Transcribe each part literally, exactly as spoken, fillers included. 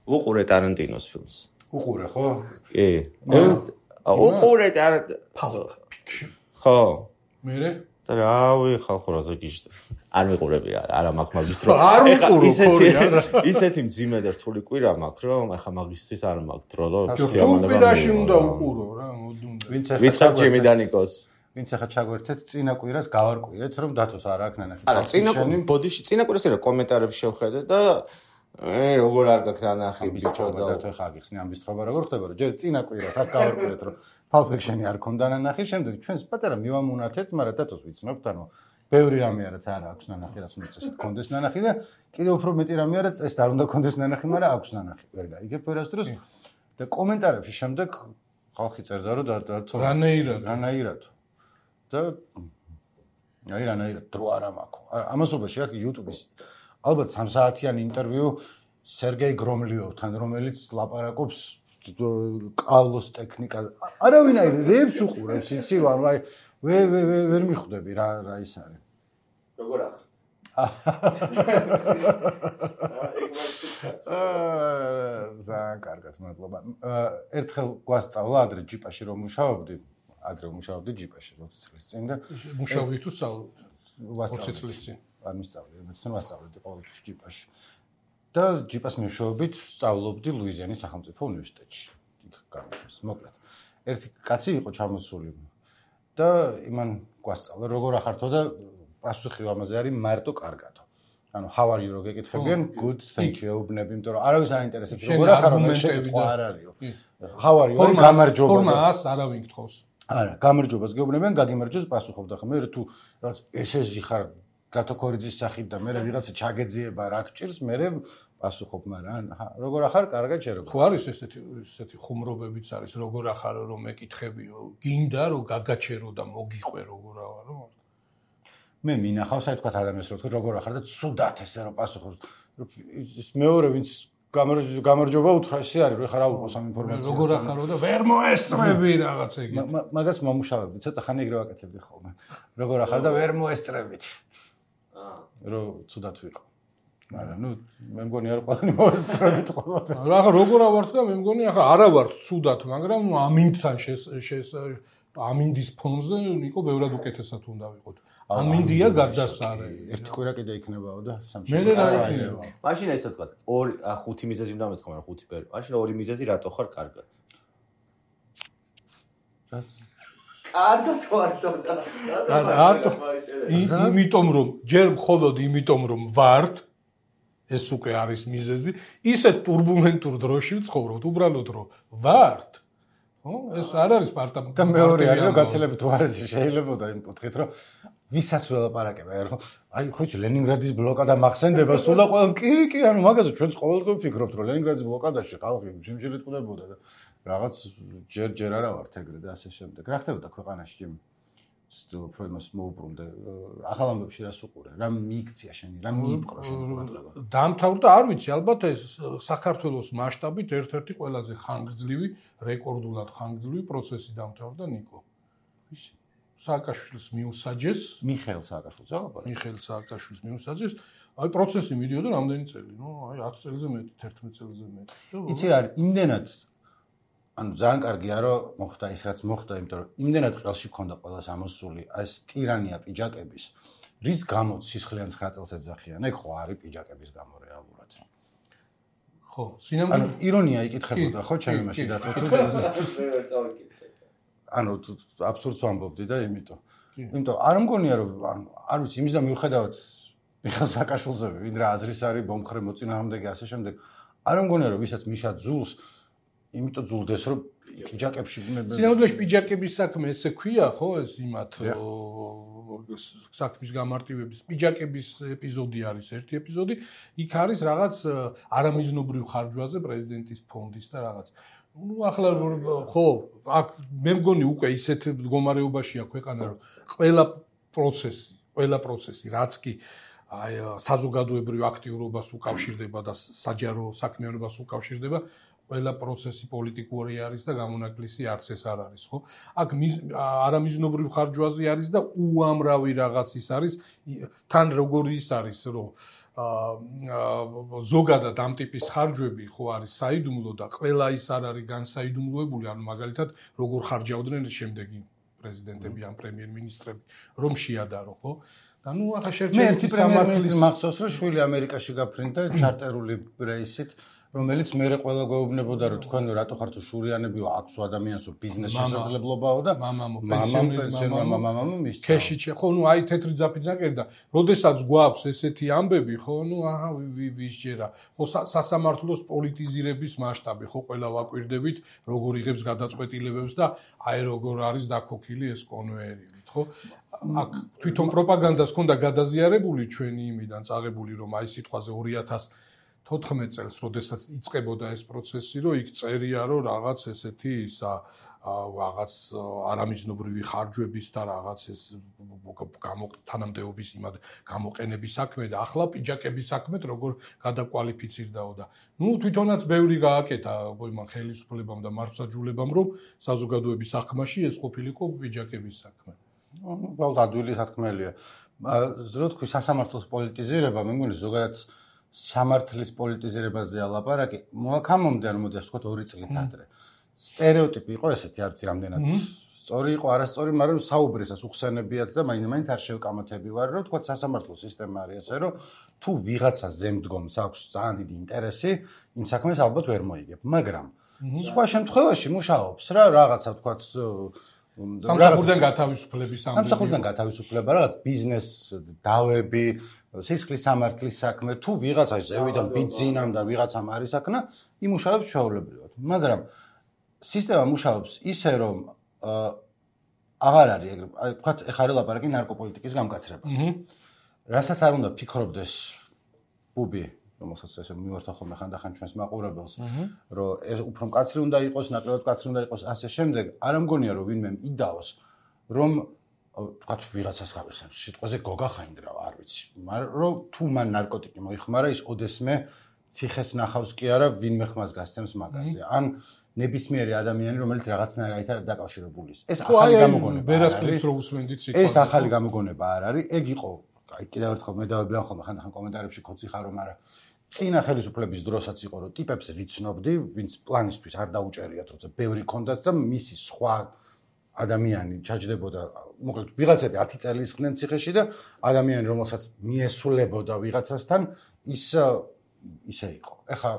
უყურე ტარანტინოს ფილმს. უყურე, ხო? კი. უყურე ტარანტინოს. ხო. მერე? და რავი, ხალხო რაზე გიჟდა. არ მიყურები, არა მაქვს მაგისტრო. არ მიყურო ხორი არა. ისეთი მძიმე და რთული კვირა მაქვს, რომ ახლა მაგისტრის არ მაქვს დრო, რომ სიამოვნება. კვირაში უნდა უყურო რა, მოდუნდა. ვინც ახლა ვიწყებ ჩემი დანიკოს. ვინც ახლა ჩაგვერთეთ წინა კვირას გავარკვიეთ, რომ დათოს არ აქვს ნანახი. არა, წინა ბოდიში, წინა კვირას არა კომენტარებს შევხედე და ე როგორ არ გაქვს ნანახი ბიჭო და დათო ხა გიხსნი ამის თხრობა როგორ ხდება, რომ ჯერ წინა კვირას აქ გავარკვიეთ, რომ Pulp Fiction-ი არ ქონდა ნანახი, შემდეგ ჩვენს პატარა მივამუნათეთ, მაგრამ დათოს ვიცნობთ, ანუ ბევრი რამე არაც არ აქვს ნანახი, რაც უნდა წესით კონდეს ნანახი და კიდევ უფრო მეტი რამე არა წესით არ უნდა კონდეს ნანახი, მაგრამ აქვს ნანახი. ვერ გაიგებ ვერასდროს და კომენტარებში შემდეგ ხალხი წერდა, რომ დათო რანაირად, რანაირად. და აი რანაირად დრო არა მაქვს. ამასობაში აქ YouTube-ის ალბათ სამ საათიანი ინტერვიუ სერგეი გრომლიოვთან, რომელიც ლაპარაკობს კალოს ტექნიკაზე. არავინაირ რებს უყურებს, იცი ვარ, აი ვერ ვერ ვერ მიხვდები რა რა ის არის. როგორ ახლა? აა ძალიან კარგად მადლობა. ერთხელ გვასწავლა ადრე ჯიპაში რომ მუშაობდი, ადრე მუშაობდი ჯიპაში ოცი წლის წინ და მუშაობდი თუ სწავლობდი? ოცი წლის წინ. არ მისწავლე, მეცნიერო ვასწავლედი ყოველთვის ჯიპაში. და ჯიპას მეშვეობით სწავლობდი ლუიზიანის სახელმწიფო უნივერსიტეტში. იქ გამოსვეს. მოკლედ. ერთი კაცი იყო ჩამოსული და იმან გვასწავლა როგორ ახართო და პასუხი ამაზე არის მარტო კარგადო. ანუ how are you რო გეკითხებიან good thank you უბნები, იმიტომ რომ არავის არ ინტერესებს როგორ ახარო მე შეკითხვა არ არისო. how are you გამარჯობა. ფორმას არავინ გთხოვს. არა, გამარჯობას გეუბნებიან, გაგიმარჯოს პასუხობ და ხომ მე თუ რაც ესეში ხარ დათო ქორიძის სახით და მე ვიღაცა ჩაგეძიება რა გჭირს, მე პასუხობ, მაგრამ როგორ ახარ, კარგად შერობა. ხო არის ესეთი ესეთი ხუმრობებიც არის, როგორ ახარო რომ მეკითხებიო, გინდა რომ გაგაჩერო და მოგიყვე როგორ ავარო. მე მინახავს, აი თქვა ადამიანს რომ როგორ ახარ და ცუდად ესე რომ პასუხობს. ის მეორე ვინც გამარჯობა უთხრა ისე არის, რომ ეხლა რა უყოს ამ ინფორმაციას. როგორ ახარო და ვერ მოესწრები რაღაც ეგეთი. მაგას მომუშავებდი, ცოტა ხანი ეგრე ვაკეთებდი ხოლმე. როგორ ახარ და ვერ მოესწრებით. აა რომ ცუდად ვიყო. მაგრამ ნუ მე მგონი არ ყველანი მოესწრებით ყველაფერს. რა ახლა როგორ ავართ და მე მგონი ახლა არა ვართ ცუდად, მაგრამ ამინდთან შეს ამინდის ფონზე ნიკო ბევრად უკეთესად უნდა ვიყოთ. ამინდია გადასარე. ერთი კვირა კიდე იქნებაო და სამში. მე რა იქნება. მაშინ ესე თქვა, ორი ხუთი მიზეზი უნდა მეთქვა, მაგრამ ხუთი პერი. მაშინ ორი მიზეზი რატო ხარ კარგად? რა კარგად ვარდო და რატო? იმიტომ რომ ჯერ მხოლოდ იმიტომ რომ ვართ ეს უკვე არის მიზეზი, ისე турბულენტურ დროში ვცხოვრობთ, უბრალოდ რომ ვართ. ხო? ეს არ არის პარტა და მეორე არის რომ გაცილებით უარესი შეიძლებოდა იმ კუთხით რომ ვისაც ველაპარაკება, რომ აი ხო იცი ლენინგრადის ბლოკადა მახსენდება, სულ და ყველამ კი კი, ანუ მაგაზე ჩვენც ყოველდღე ვფიქრობთ, რომ ლენინგრადის ბლოკადაში ხალხი შიმშილით ყდებოდა და რაღაც ჯერ ჯერ არა ვართ ეგრე და ასე შემდეგ. რა ხდებოდა ქვეყანაში ჩემ უფრო იმას მოუბრუნდა ახალ ამბებში რას უყურე, რა მიიქცია შენი, რა მიიპყრო შენი ყურადღება. დამთავრდა, არ ვიცი, ალბათ ეს საქართველოს მასშტაბით ერთ-ერთი ყველაზე ხანგრძლივი, რეკორდულად ხანგრძლივი პროცესი დამთავრდა ნიკო. ვისი? სააკაშვილის მიუსაჯეს, მიხეილ სააკაშვილს აღაბარა. მიხეილ სააკაშვილის მიუსაჯეს. აი პროცესი მიდიოდა რამდენი წელი, ნუ აი ათი წელზე მეტი, თერთმეტ წელზე მეტი. იცი რა არის, იმდენად ანუ ძალიან კარგია რომ მოხდა ის რაც მოხდა, იმიტომ რომ იმდენად ყელში ქონდა ყველას ამოსული ეს ტირანია პიჯაკების, რის გამოც სისხლიან ცხრა წელს ეძახიან, ეგ ხო არის პიჯაკების გამო რეალურად. ხო, სინამდვილე ანუ ირონია იკითხებოდა ხო ჩემი მაშინ და თუ ანუ აბსურდს ვამბობდი და იმიტომ. იმიტომ არ მგონია რომ ანუ არ ვიცი, იმის და მიუხედავად მიხეილ სააკაშვილზე, ვინ რა აზრის არის ბომხრე მოწინააღმდეგე ასე შემდეგ, არ მგონია რომ ვისაც მიშა ძულს იმიტომ ძულდეს რომ პიჯაკებში სინამდვილეში პიჯაკების საქმე ესე ქვია ხო ეს იმათ საქმის გამარტივების პიჯაკების ეპიზოდი არის ერთი ეპიზოდი იქ არის რაღაც არამიზნობრივ ხარჯვაზე პრეზიდენტის ფონდის და რაღაც ნუ ახლა ხო აქ მე მგონი უკვე ისეთ მდგომარეობაშია ქვეყანა რომ ყველა პროცესი ყველა პროცესი რაც კი აი საზოგადოებრივ აქტიურობას უკავშირდება და საჯარო საქმიანობას უკავშირდება ყველა პროცესი პოლიტიკური არის და გამონაკლისი არც ეს არ არის, ხო? აქ არამიზნობრივ ხარჯვაზე არის და უამრავი რაღაც ის არის, თან როგორი ის არის, რომ ზოგადად ამ ტიპის ხარჯვები ხო არის საიდუმლო და ყველა ის არ არის განსაიდუმლოებული, ანუ მაგალითად როგორ ხარჯავდნენ შემდეგი პრეზიდენტები ან პრემიერ-მინისტრები, რომ შეადარო, ხო? და ნუ ახლა შერჩეული სამართლის მახსოვს, რომ შვილი ამერიკაში გაფრინდა ჩარტერული რეისით, რომელიც მე ყველა გვეუბნებოდა, რომ თქვენ რატო ხართ შურიანებიო, აქვს ადამიანს ბიზნეს შესაძლებლობაო და მამამო პენსიონერმა მამამო მისცა. ქეში ხო, ნუ აი თეთრი ძაფით ნაკერდა, როდესაც გვაქვს ესეთი ამბები, ხო, ნუ აჰა ვის ჯერა. ხო სასამართლოს პოლიტიზირების მასშტაბი, ხო, ყველა ვაკვირდებით, როგორ იღებს გადაწყვეტილებებს და აი როგორ არის დაქოქილი ეს კონვეიერით, ხო? აქ თვითონ პროპაგანდას ჰქონდა გადაზიარებული ჩვენი იმიდან წაღებული, რომ აი სიტყვაზე ორი ათას თოთხმეტ წელს, როდესაც იწყებოდა ეს პროცესი, რომ იქ წერია, რომ რაღაც ესეთი ისა რაღაც არამიზნობრივი ხარჯვების და რაღაც ეს თანამდებობის იმად გამოყენების საქმე და ახლა პიჯაკების საქმეთ როგორ გადაკვალიფიცირდაო და ნუ თვითონაც ბევრი გააკეთა იმან ხელისუფლებამ და მართლმსაჯულებამ, რომ საზოგადოების საქმეში ეს ყოფილიყო პიჯაკების საქმე. უბრალოდ ადვილი სათქმელია. რო თქვი სასამართლოს პოლიტიზირება, მე მგონი ზოგადად სამართლის პოლიტიზირებაზე ალაპარაკი, მოაქამომდა რომ მოდი ასე ვთქვათ ორი წლით ადრე. სტერეოტიპი იყო ესეთი, არც რამდენად სწორი იყო, არასწორი, მაგრამ საუბრისას უხსენებიათ და მაინც-მაინც არ შევკამათები ვარ, რომ ვთქვათ სასამართლო სისტემა არის ასე, რომ თუ ვიღაცა ზემდგომს აქვს ძალიან დიდი ინტერესი, იმ საქმეს ალბათ ვერ მოიგებ, მაგრამ სხვა შემთხვევაში მუშაობს რა, რაღაცა ვთქვათ სამსახურიდან გათავისუფლების ამბები. სამსახურიდან გათავისუფლება, რაღაც ბიზნეს დავები, სისხლის სამართლის საქმე, თუ ვიღაცა ზევიდან ბიძინამ და ვიღაცამ არის საქმე, იმუშავებს ჩვეულებრივად. მაგრამ სისტემა მუშაობს ისე, რომ აღარ არის ეგრე, აი ვთქვათ, ეხლა არის ლაპარაკი ნარკოპოლიტიკის გამკაცრებაზე. რასაც არ უნდა ფიქრობდეს ბუბი, რომელსაც ესე მივართა ხოლმე ხანდახან ჩვენს მაყურებელს, რომ ეს უფრო მკაცრი უნდა იყოს, ნაკლებად მკაცრი უნდა იყოს, ასე შემდეგ. არ ამგონია, რომ ვინმე იდაოს, რომ ვთქვათ, ვიღაცას გავიხსენებ, სიტყვაზე გოგა ხაინდრავ, არ ვიცი. მაგრამ რომ თუ მან ნარკოტიკი მოიხმარა, ის ოდესმე ციხეს ნახავს კი არა, ვინმე ხმას გასცემს მაგაზე. ან ნებისმიერი ადამიანი, რომელიც რაღაცნაირად დაკავშირებული ის. ეს ახალი გამოგონება არ არის. ეს ახალი გამოგონება არ არის. ეგ იყო, აი კიდევ ერთხელ მე დავებიან ხოლმე ხანდახან კომენტარებში ქოცი ხარო, მაგრამ წინა ხელისუფლების დროსაც იყო, რომ ტიპებს ვიცნობდი, ვინც პლანისთვის არ დაუჭერიათ, როცა ბევრი ქონდათ და მისი სხვა ადამიანი ჩაჯდებოდა, მოკლედ ვიღაცები ათი წელი ისხდნენ ციხეში და ადამიანი, რომელსაც მიესულებოდა ვიღაცასთან, ის ისე იყო. ეხა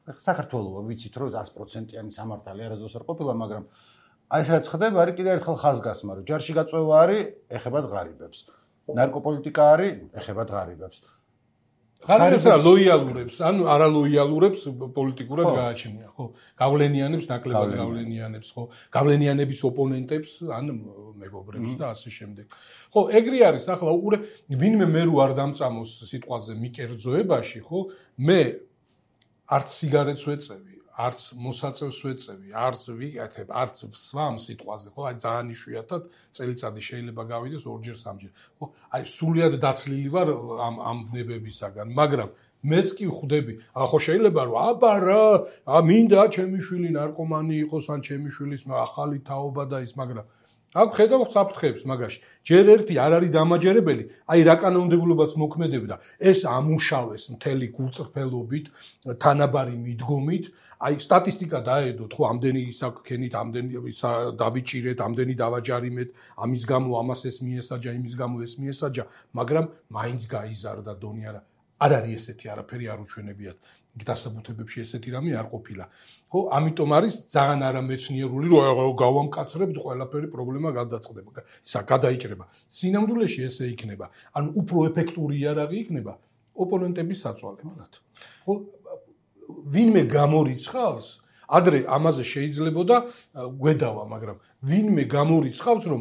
საქართველოა ვიცით, რომ ას პროცენტიანი სამართალი არასდროს არ ყოფილა, მაგრამ აი ეს რაც ხდება, არის კიდევ ერთხელ ხაზგასმა, რომ ჯარში გაწვევა არის, ეხებათ ღარიბებს. ნარკოპოლიტიკა არის, ეხებათ ღარიბებს. ღარიბებს რა ლოიალურებს, ანუ არალოიალურებს პოლიტიკურად გააჩნია, ხო? გავლენიანებს, ნაკლებად გავლენიანებს, ხო? გავლენიანების ოპონენტებს, ან მეგობრებს და ასე შემდეგ. ხო, ეგრე არის, ახლა უყურე, ვინმე მე რო არ დამწამოს სიტყვაზე მიკერძოებაში, ხო? მე არც სიგარეტს ვეწევი, არც მოსაწევს ვეწევი, არც ვიკეთებ, არც ვსვამ სიტყვაზე, ხო? აი ძალიან იშვიათად წელიწადი შეიძლება გავიდეს ორჯერ სამჯერ. ხო? აი სულიად დაცლილი ვარ ამ ამ ბნებებისაგან, მაგრამ მეც კი ხვდები, ახლა შეიძლება რომ აბა რა, მინდა ჩემი შვილი ნარკომანი იყოს, ან ჩემი შვილის ახალი თაობა და ის, მაგრამ აქ ხედავ საფრთხეებს მაგაში. ჯერ ერთი არ არის დამაჯერებელი, აი რა კანონმდებლობაც მოქმედებდა, ეს ამუშავეს მთელი გულწრფელობით, თანაბარი მიდგომით, აი სტატისტიკა დაედოთ, ხო, ამდენი ისაქქენით, ამდენი დავიჭირეთ, ამდენი დავაჯარიმეთ, ამის გამო ამას ეს მიესაჯა, იმის გამო ეს მიესაჯა, მაგრამ მაინც გაიზარდა დონი არა. არ არის ესეთი არაფერი არ უჩვენებიათ. დასაბუთებებში ესეთი რამე არ ყოფილა. ხო, ამიტომ არის ძალიან არამეცნიერული, რომ გავამკაცრებთ ყველაფერი პრობლემა გადაწყდება. ისა გადაიჭრება. სინამდვილეში ესე იქნება. ანუ უფრო ეფექტური იარაღი იქნება ოპონენტების საწვალებლად. ხო, ვინმე გამორიცხავს, ადრე ამაზე შეიძლებოდა გვედავა, მაგრამ ვინმე გამორიცხავს, რომ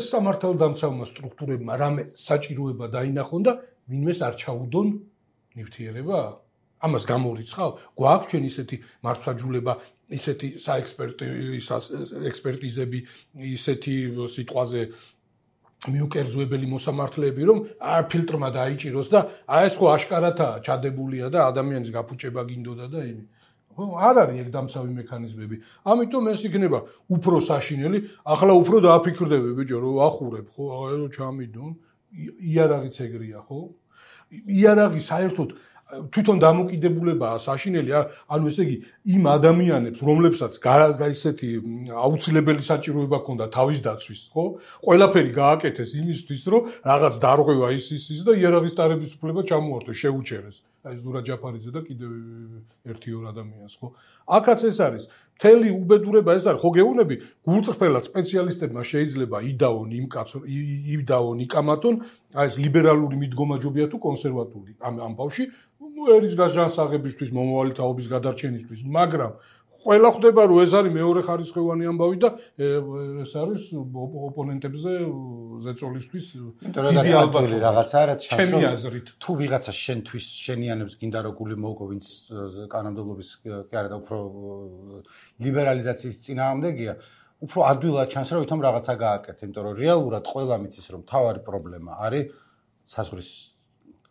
სამართალდამცავმა სტრუქტურებმა რამე საჭიროება დაინახონ და ვინმეს არ ჩაუდონ ნივთიერება? ამას გამორიცხავ? გვაქვს ჩვენ ისეთი მართლმსაჯულება, ისეთი საექსპერტიზები, ისეთი სიტყვაზე მიუკერძოებელი მოსამართლეები, რომ არ ფილტრმა დაიჭიროს და აი ეს ხო აშკარათაა ჩადებულია და ადამიანის გაფუჭება გინდოდა და იმი. ხო, არ არის ეგ დამცავი მექანიზმები. ამიტომ ეს იქნება უფრო საშინელი, ახლა უფრო დააფიქრდები ბიჭო, რომ ახურებ, ხო, აღარო ჩამიდონ. იარაღიც ეგრეა, ხო? იარაღი საერთოდ თვითონ დამოკიდებულებაა საშინელი, ანუ ესე იგი იმ ადამიანებს, რომლებსაც ესეთი აუცილებელი საჭიროება ჰქონდა თავის დაცვის, ხო? ყველაფერი გააკეთეს იმისთვის, რომ რაღაც დარღვევა ის ის ის და იარაღის ტარების უფლება ჩამოართვეს, შეუჩერეს. აი ზურა ჯაფარიძე და კიდევ ერთი ორ ადამიანს, ხო? აქაც ეს არის. მთელი უბედურება ეს არის, ხო გეუბნები, გულწრფელად სპეციალისტებმა შეიძლება იდაონ იმ კაც იდაონ იკამათონ, აი ეს ლიბერალური მიდგომაჯობია თუ კონსერვატული ამ ამბავში, ერის გაჟანსაღებისთვის, მომავალი თაობის გადარჩენისთვის, მაგრამ ყველა ხვდება, რომ ეს არის მეორე ხარისხოვანი ამბავი და ეს არის ოპონენტებზე ზეწოლისთვის იდეალური რაღაცა, რაც ჩემი აზრით. თუ ვიღაცა შენთვის შენიანებს გინდა რომ გული მოუგო, ვინც კანონმდებლობის კი არა და უფრო ლიბერალიზაციის წინააღმდეგია, უფრო ადვილად ჩანს რომ ვითომ რაღაცა გააკეთე, იმიტომ რომ რეალურად ყველა მიცის რომ თავარი პრობლემა არის საზღვრის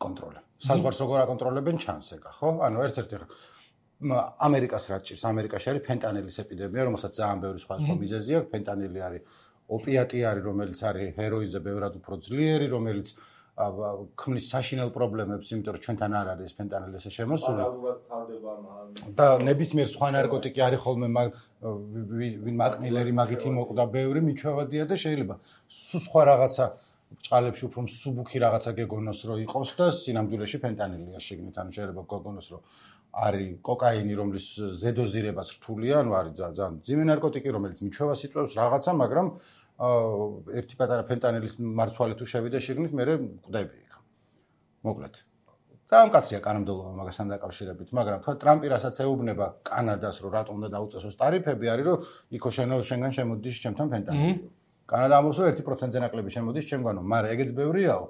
კონტროლი. საზღვარს როგორ აკონტროლებენ ჩანს ეგა, ხო? ანუ ერთ-ერთი ამერიკას რაც ჭირს, ამერიკაში არის ფენტანილის ეპიდემია, რომელსაც ძალიან ბევრი სხვა სხვა მიზეზი აქვს. ფენტანილი არის ოპიატი არის, რომელიც არის ჰეროინზე ბევრად უფრო ძლიერი, რომელიც ქმნის საშინელ პრობლემებს, იმიტომ რომ ჩვენთან არ არის ფენტანილი ესე შემოსული. და ნებისმიერ სხვა ნარკოტიკი არის ხოლმე ვინ მაკმილერი მაგით იმოკვდა ბევრი მიჩვევადია და შეიძლება სულ სხვა რაღაცა ჭალებში უფრო მსუბუქი რაღაცა გეგონოს რომ იყოს და სინამდვილეში ფენტანილია შეგნით, ანუ შეიძლება გეგონოს რომ არის კოკაინი, რომლის ზედოზირებაც რთულია, ანუ არის ძალიან ძიმე ნარკოტიკი, რომელიც მიჩვევას იწვევს რაღაცა, მაგრამ ერთი პატარა ფენტანილის მარცვალი თუ შევიდა შეგნით, მე კვდები იქ. მოკლედ. ძალიან კაცია კანონმდებლობა მაგასთან დაკავშირებით, მაგრამ თქვა ტრამპი რასაც ეუბნება კანადას, რომ რატომ უნდა დაუწესოს ტარიფები, არის რომ იქო შენო შენგან შემოდის ჩემთან ფენტანილი. კანადა ამბობს რომ ერთი პროცენტზე ნაკლები შემოდის ჩემგანო, მაგრამ ეგეც ბევრიაო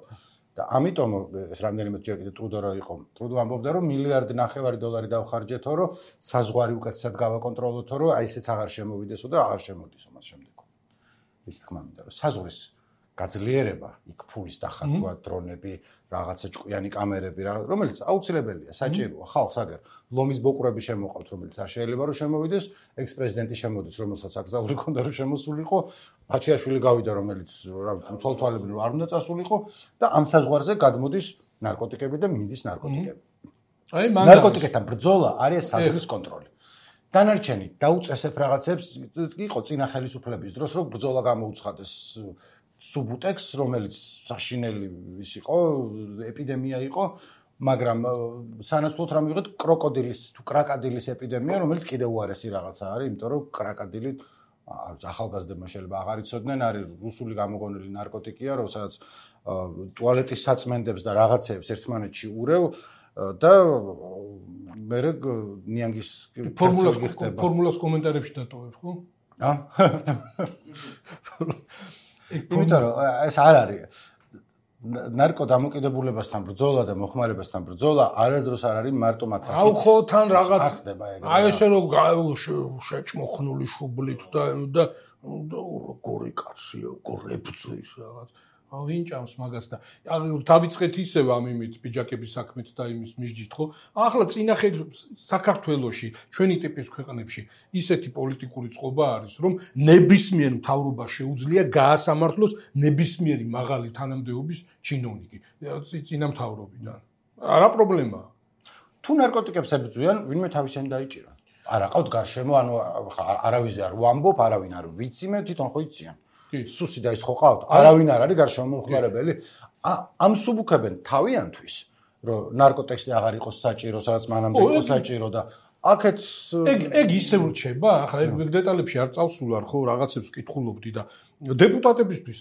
და ამიტომ ეს რამდენიმე ჯერ კიდე ტრუდო რო იყო. ტრუდო ამბობდა რომ მილიარდი ნახევარი დოლარი დავხარჯეთო, რომ საზღვარი უკეთესად გავაკონტროლოთო, რომ აი ესეც აღარ შემოვიდესო და აღარ შემოდისო მას შემდეგ. ის თქმა მინდა რომ საზღვრის გაძლიერება, იქ ფულის დახარჯვა, დრონები, რაღაცა ჭკვიანი კამერები, რომელიც აუცილებელია, საჭიროა ხალხს აგერ ლომის ბოკურები შემოყავთ, რომელიც არ შეიძლება რომ შემოვიდეს, ექს-პრეზიდენტი შემოდის, რომელსაც აკრძალული ქონდა რომ შემოსულიყო, ფაჩიაშვილი გავიდა, რომელიც რა ვიცი, თვალთვალებინ არ უნდა წასულიყო და ამ საზღვარზე გადმოდის ნარკოტიკები და მიდის ნარკოტიკები. აი ნარკოტიკებთან ბრძოლა არის საზღვრის კონტროლი. დანარჩენი დაუწესებ რაღაცებს, იყო წინა ხელისუფლების დროს, რომ ბრძოლა გამოუცხადეს სუბუტექს, რომელიც საშინელი ის იყო, ეპიდემია იყო, მაგრამ სანაცვლოდ რა მივიღეთ კროკოდილის თუ კრაკადილის ეპიდემია, რომელიც კიდევ უარესი რაღაცა არის, იმიტომ რომ კრაკადილი ახალგაზრდებმა შეიძლება აღარ იცოდნენ, არის რუსული გამოგონილი ნარკოტიკია, რომელსაც ტუალეტის საწმენდებს და რაღაცეებს ერთმანეთში ურევ და მე ნიანგის ფორმულას ფორმულას კომენტარებში დატოვებ, ხო? ა? იმიტომ რომ ეს არ არის ნარკო დამოკიდებულებასთან ბრძოლა და მოხმარებასთან ბრძოლა არასდროს არ არის მარტო მათაც. აუ ხო თან რაღაც აი ესე რომ შეჭმოხნული შუბლით და და როგორი კაცია, გორებძის რაღაც. აუ ვინ ჭამს მაგას და დავიწყეთ ისევ ამ იმით პიჯაკების საქმით და იმის მისჯით, ხო? ახლა წინახეთ საქართველოში, ჩვენი ტიპის ქვეყნებში ისეთი პოლიტიკური წყობა არის, რომ ნებისმიერ მთავრობას შეუძლია გაასამართლოს ნებისმიერი მაღალი თანამდებობის ჩინოვნიკი წინა მთავრობიდან. არა პრობლემაა. თუ ნარკოტიკებს ებრძვიან, ვინმე თავისანი დაიჭირა. არა ყავთ გარშემო, ანუ არავიზე არ ვამბობ, არავინ არ ვიცი, მე თვითონ ხო იციან. სუსი და ის ხო ყავთ? არავინ არ არის გარშემო მომხმარებელი. ამ სუბუქებენ თავიანთვის, რომ ნარკოტექსტი აღარ იყოს საჭირო, სადაც მანამდე იყო საჭირო და აქეთ ეგ ეგ ისე რჩება, ახლა ეგ დეტალებში არ წავსულარ, ხო, რაღაცებს ვკითხულობდი და დეპუტატებისთვის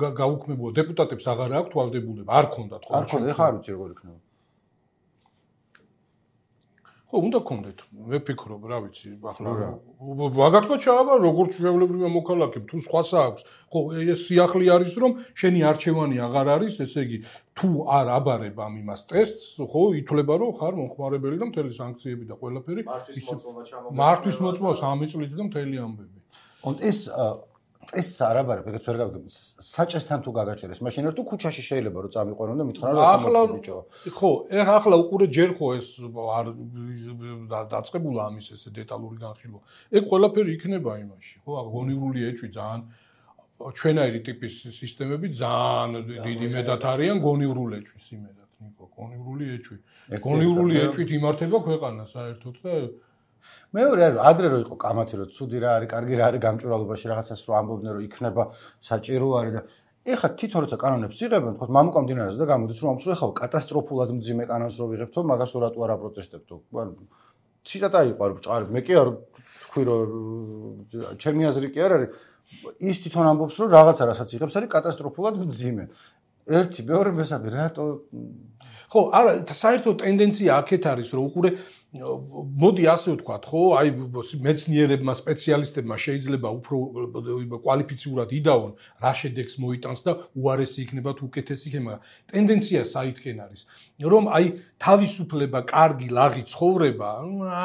გაუქმებულა, დეპუტატებს აღარ აქვთ ვალდებულება, არ ქონდათ ხო? არ ქონდა, ეხლა არ ვიცი როგორ იქნება. ხო, უნდა გქონდეთ. მე ვფიქრობ, რა ვიცი, ახლა მაგათმა ჩააბა როგორც ჩვეულებრივი მოქალაქე, თუ სხვას აქვს. ხო, ეს სიახლე არის, რომ შენი არჩევანი აღარ არის, ესე იგი, თუ არ აბარებ ამ იმას ტესტს, ხო, ითვლება, რომ ხარ მომხმარებელი და მთელი სანქციები და ყველაფერი მართვის მოწმობა სამი წლით და მთელი ამბები. On ეს ეს არ აბარებ, ეგეც ვერ გავიგებ. საჭესთან თუ გაგაჭერეს, მაშინ თუ ქუჩაში შეიძლება რომ წამიყვანონ და მითხრან რომ ახლა ხო, ეხლა ახლა უყურე ჯერ ხო ეს არ დაწყებულა ამის ესე დეტალური განხილვა. ეგ ყველაფერი იქნება იმაში, ხო, აგონივრული ეჭვი ძალიან ჩვენაირი ტიპის სისტემები ძალიან დიდი მედად არიან გონივრული ეჭვის იმედად. ნიკო, გონივრული ეჭვი. გონივრული ეჭვით იმართება ქვეყანა საერთოდ და მეორე ადრე რო იყო კამათი რო ცუდი რა არის, კარგი რა არის გამჭვირვალობაში რაღაცას რო ამბობდნენ რომ იქნება საჭირო არის და ეხლა თვითონ როცა კანონებს იღებენ, თქო მამუკამდინარეს და გამოდის რომ ამს რო ეხლა კატასტროფულად მძიმე კანონს რო ვიღებთო, მაგას რატო არ აპროტესტებთო? ციტატა იყო არ ბჭყალებ, მე კი არ თქვი რომ ჩემი აზრი კი არ არის. ის თვითონ ამბობს რომ რაღაცა რასაც იღებს არის კატასტროფულად მძიმე. ერთი, მეორე, მესამე, რატო ხო, არა, საერთოდ ტენდენცია აქეთ არის, რომ უყურე მოდი ასე ვთქვათ, ხო, აი მეცნიერებმა, სპეციალისტებმა შეიძლება უფრო კვალიფიციურად იდაონ, რა შედეგს მოიტანს და უარესი იქნება თუ უკეთესი იქნება. ტენდენცია საითქენ არის, რომ აი თავისუფლება, კარგი, ლაღი ცხოვრება,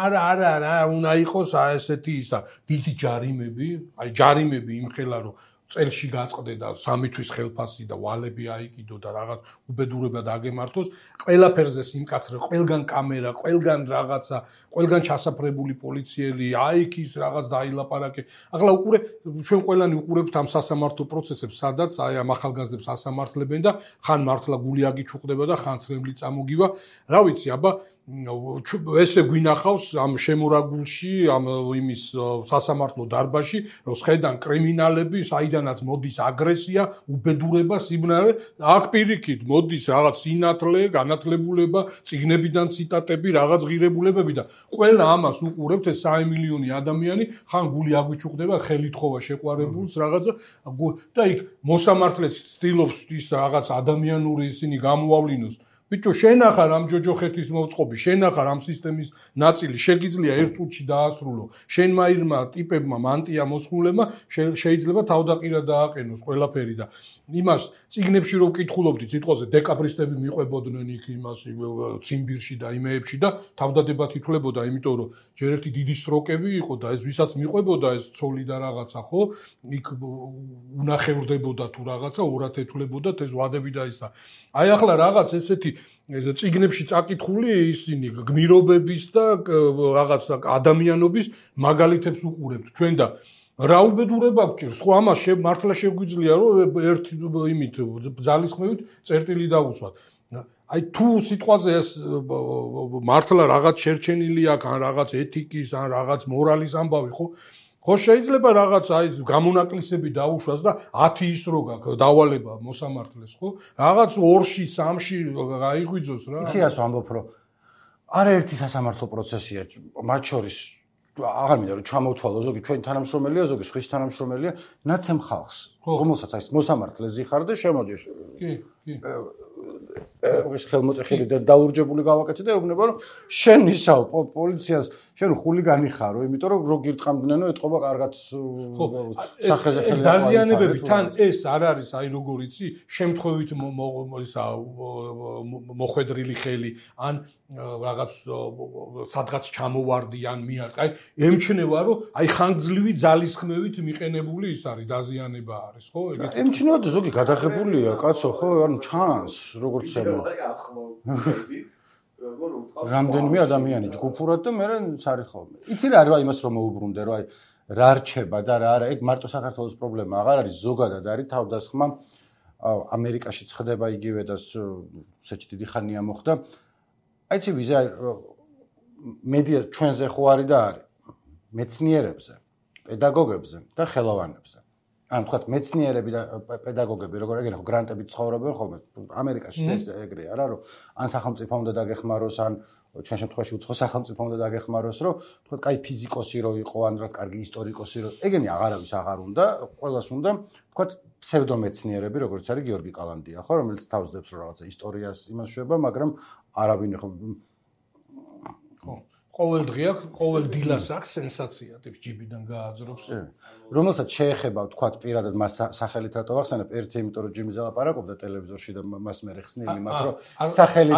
არა, არა, არა, უნდა იყოს ესეთი ისა, დიდი ჯარიმები, აი ჯარიმები იმხელა რომ წელში გაწყდე და სამი თვის ხელფასი და ვალები აიკიდო და რაღაც უბედურება დაგემართოს, ყველაფერზე სიმკაცრე, ყველგან კამერა, ყველგან რაღაცა, ყველგან ჩასაფრებული პოლიციელი, აიქის რაღაც დაილაპარაკე. ახლა უყურე ჩვენ ყველანი უყურებთ ამ სასამართლო პროცესებს, სადაც აი ამ ახალგაზრდებს ასამართლებენ და ხან მართლა გული აგიჩუყდება და ხან ცრემლი წამოგივა. რა ვიცი, აბა ესე გვინახავს ამ შემორაგულში, ამ იმის სასამართლო დარბაზში, რომ შედან კრიმინალები, საიდანაც მოდის აგრესია, უბედურება, სიბნელე, აქ პირიქით მოდის რაღაც სინათლე, განათლებულება, წიგნებიდან ციტატები, რაღაც ღირებულებები და ყველა ამას უყურებთ ეს სამი მილიონი ადამიანი, ხან გული აგვიჩუყდება, ხელით ხოვა შეყვარებულს რაღაცა და იქ მოსამართლეც ცდილობს ის რაღაც ადამიანური ისინი გამოავლინოს. ბიჭო, შენახა რამ ჯოჯოხეთის მოწყობი, შენახა რამ სისტემის ნაწილი, შეგიძლია ერთ წუთში დაასრულო. შენმა ირმა ტიპებმა მანტია მოსხმულებმა შეიძლება თავდაყირა დააყენოს ყველაფერი და იმას წიგნებში რო ვკითხულობდი, სიტყვაზე დეკაბრისტები მიყვებოდნენ იქ იმას ციმბირში და იმეებში და თავდადებად ითვლებოდა, იმიტომ რომ ჯერ ერთი დიდი სტროკები იყო და ეს ვისაც მიყვებოდა ეს ცოლი და რაღაცა, ხო? იქ უნახევრდებოდა თუ რაღაცა, ორად ეთვლებოდა ეს ვადები და ის და აი ახლა რაღაც ესეთი წიგნებში წაკითხული ისინი გმირობების და რაღაც ადამიანობის მაგალითებს უყურებთ ჩვენ და რა უბედურება გჭირს, ხო ამას მართლა შეგვიძლია რომ ერთ იმით ძალისხმევით წერტილი დავუსვათ. აი თუ სიტყვაზე ეს მართლა რაღაც შერჩენილი აქვს, ან რაღაც ეთიკის, ან რაღაც მორალის ამბავი, ხო? ხო შეიძლება რაღაც აი გამონაკლისები დაუშვას და ათი ის რო გაქვს დავალება მოსამართლეს, ხო? რაღაც ორში, სამში გაიღვიძოს რა. იცი რას ვამბობ, რომ არაერთი სასამართლო პროცესია, მათ შორის აღარ მინდა რომ ჩამოვთვალო ზოგი ჩვენ თანამშრომელია, ზოგი სხვის თანამშრომელია, ნაცემ ხალხს, რომელსაც აი მოსამართლეზე ხარ და შემოდი. კი, კი. ეს ხელმოწეხილი და დაურჯებული გავაკეთე და ეუბნება რომ შენ ისაო პოლიციას შენ ხულიგანი ხარო, იმიტომ რომ რო გირტყამდნენ რომ ეთყობა კარგად სახეზე ხელი. ეს დაზიანებები თან ეს არ არის აი როგორ იცი, შემთხვევით ისა მოხვედრილი ხელი ან რაღაც სადღაც ჩამოვარდი ან მიარტყა. აი ემჩნევა რომ აი ხანგრძლივი ძალისხმევით მიყენებული ის არის დაზიანება არის, ხო? ეგეთ ემჩნევა და ზოგი გადაღებულია, კაცო, ხო? ანუ ჩანს როგორც შემო. რამდენიმე ადამიანი ჯგუფურად და მე სარიხავ. იცი რა არის იმას რომ მოუბრუნდე, რომ აი რა რჩება და რა არა, ეგ მარტო საქართველოს პრობლემა აღარ არის, ზოგადად არის თავდასხმა. ამერიკაში ხდება იგივე და საჭი დიდი ხანია მოხდა. აი ცი ვიზა მედია ჩვენზე ხო არის და არის მეცნიერებზე, პედაგოგებზე და ხელოვანებზე. ანუ თქვათ მეცნიერები და პედაგოგები როგორ ეგრე ხო გრანტები ცხოვრობენ ხოლმე ამერიკაში ეს ეგრეა რა რომ ან სახელმწიფო უნდა დაგეხმაროს ან ჩვენ შემთხვევაში უცხო სახელმწიფო უნდა დაგეხმაროს რომ თქვათ კაი ფიზიკოსი რო იყო ან რა კარგი ისტორიკოსი რო ეგენი აღარავის აღარ უნდა ყველას უნდა თქვათ ფსევდომეცნიერები როგორც არის გიორგი კალანდია ხო რომელიც თავსდებს რომ რაღაცა ისტორიას იმას შვება მაგრამ არავინ ხო ყოველ დღე აქვს, ყოველ დილას აქვს სენსაცია, ტიპ ჯიბიდან გააძრობს. რომელსაც შეეხება, თქვათ, პირადად მას სახელით რატო ვახსენებ, ერთი იმიტომ რომ ჯიმი ზალაპარაკობდა ტელევიზორში და მას მე ხსნილი, მათ რომ სახელით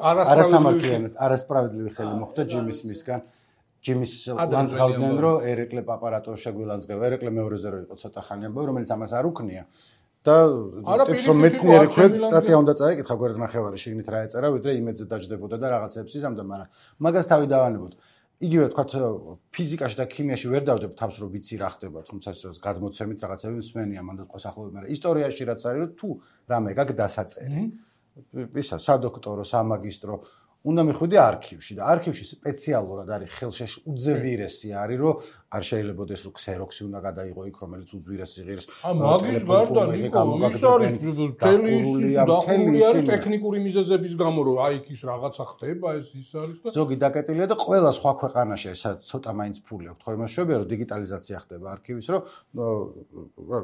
არასამართლიანად, არასправედლივი ხელი მოხდა ჯიმის მისგან. ჯიმის ლანძღავდნენ, რომ ერეკლე პაპარატო შეგვილანძღევა, ერეკლე მეორეზე რო იყო ცოტა ხანი ამბავი, რომელიც ამას არ უქნია. და ტიპს რომ მეცნიერი ქვեց სტატია უნდა წაეკითხა გვერდ ნახევარი შიგნით რა ეწერა ვიდრე იმედზე დაждდებოდა და რაღაცებს იზამდა მაგრამ მაგას თავი დავანებოთ იგივე თქვათ ფიზიკაში და ქიმიაში ვერ დავდებ თავს რომ ვიცი რა ხდება თუმცა ეს გადმოცემით რაღაცები მსმენია მანდ თქვა სახლობი მაგრამ ისტორიაში რაც არის რომ თუ რამე გაგ დასაწერი ისა სადოქტორო, სამაგისტრო უნდა მიხვიდე არქივში და არქივში სპეციალურად არის ხელშეშ უძვირესი არის რომ არ შეიძლებაოდეს რომ ქსეროქსი უნდა გადაიღო იქ რომელიც უძვირესი ღირს ა მაგის გარდა ნიკო ის არის მთელი ის დახურული არის ტექნიკური მიზეზების გამო რომ აი ის რაღაცა ხდება ეს ის არის და ზოგი დაკეტილია და ყველა სხვა ქვეყანაში ესა ცოტა მაინც ფული აქვს ხო იმას შეგვიძლია რომ დიგიტალიზაცია ხდება არქივის რომ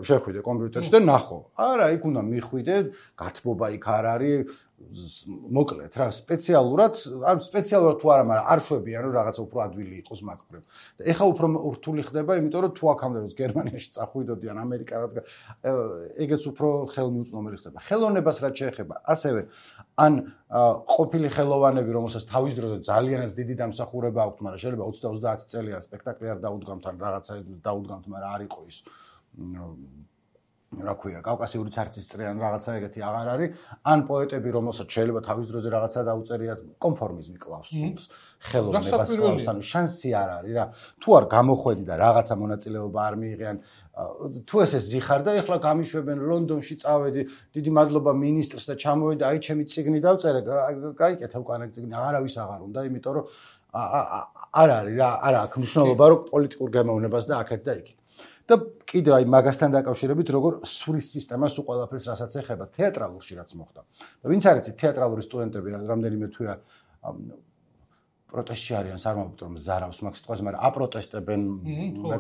შეხვიდე კომპიუტერში და ნახო არა იქ უნდა მიხვიდე გათბობა იქ არ არის მოკლედ რა სპეციალურად არ სპეციალურად თუ არა მაგრამ არ შვებიან რომ რაღაცა უფრო ადვილი იყოს მაგ მხრივ და ეხა უფრო რთული ხდება იმიტომ რომ თუ აქამდე გერმანიაში წახვიდოდიან ამერიკანაც ეგეც უფრო ხელმიუწვდომელი ხდება ხელოვნებას რაც შეეხება ასევე ან ყოფილი ხელოვანები რომელსაც თავის დროზე ძალიანაც დიდი დამსახურება აქვთ მაგრამ შეიძლება ოცდა ოცდაათი წელია სპექტაკლი არ დაუდგამთ ან რაღაცა დაუდგამთ მაგრამ არ იყო ის რა ქვია კავკასიური ცარცის წრე ან რაღაცა ეგეთი აღარ არის ან პოეტები რომელსაც შეიძლება თავის დროზე რაღაცა დაუწერიათ კონფორმიზმი კლავს სულს ხელოვნებას კლავს ანუ შანსი არ არის რა თუ არ გამოხვედი და რაღაცა მონაწილეობა არ მიიღიან თუ ესე ზიხარ და ეხლა გამიშვებენ ლონდონში წავედი დიდი მადლობა მინისტრს და ჩამოვედი აი ჩემი წიგნი დავწერე გაიკეთა უკანა წიგნი არავის აღარ უნდა იმიტომ რომ არ არის რა არ აქვს მნიშვნელობა რომ პოლიტიკურ გემოვნებას და აქეთ და იქით და კიდე აი მაგასთან დაკავშირებით როგორ სვრის სისტემას უყოლაფერს რასაც ეხება თეატრალურში რაც მოხდა და ვინც არის თეატრალური სტუდენტები რამდენიმე თვეა პროტესტში არიან სარმავთ რომ ზარავს მაგ სიტყვას მაგრამ აპროტესტებენ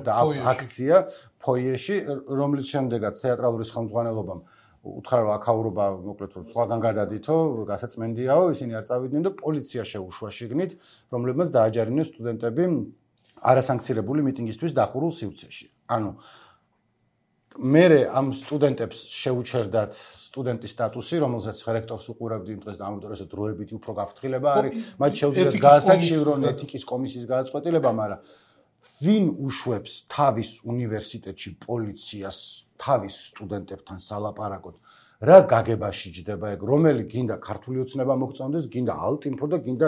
და აქცია ფოიეში რომლის შემდეგაც თეატრალური ხელმძღვანელობამ უთხრა რომ აქაურობა მოკლედ რომ სხვაგან გადადითო გასაწმენდიაო ისინი არ წავიდნენ და პოლიცია შეუშვა შიგნით რომლებმაც დააჯარიმნენ სტუდენტები არასანქცირებული მიტინგისთვის დახურულ სივრცეში. ანუ მე ამ სტუდენტებს შეუჩერდათ სტუდენტის სტატუსი, რომელზეც რექტორს უყურებდი იმ დღეს და ამ დროზე დროებითი უფრო გაფრთხილება არის, მათ შეუძლიათ გაასაჩივრონ ეთიკის კომისიის გადაწყვეტილება, მაგრამ ვინ უშვებს თავის უნივერსიტეტში პოლიციას თავის სტუდენტებთან სალაპარაკოდ რა გაგებაში ჯდება ეგ რომელი გინდა ქართული ოცნება მოგწონდეს გინდა ალტინფო და გინდა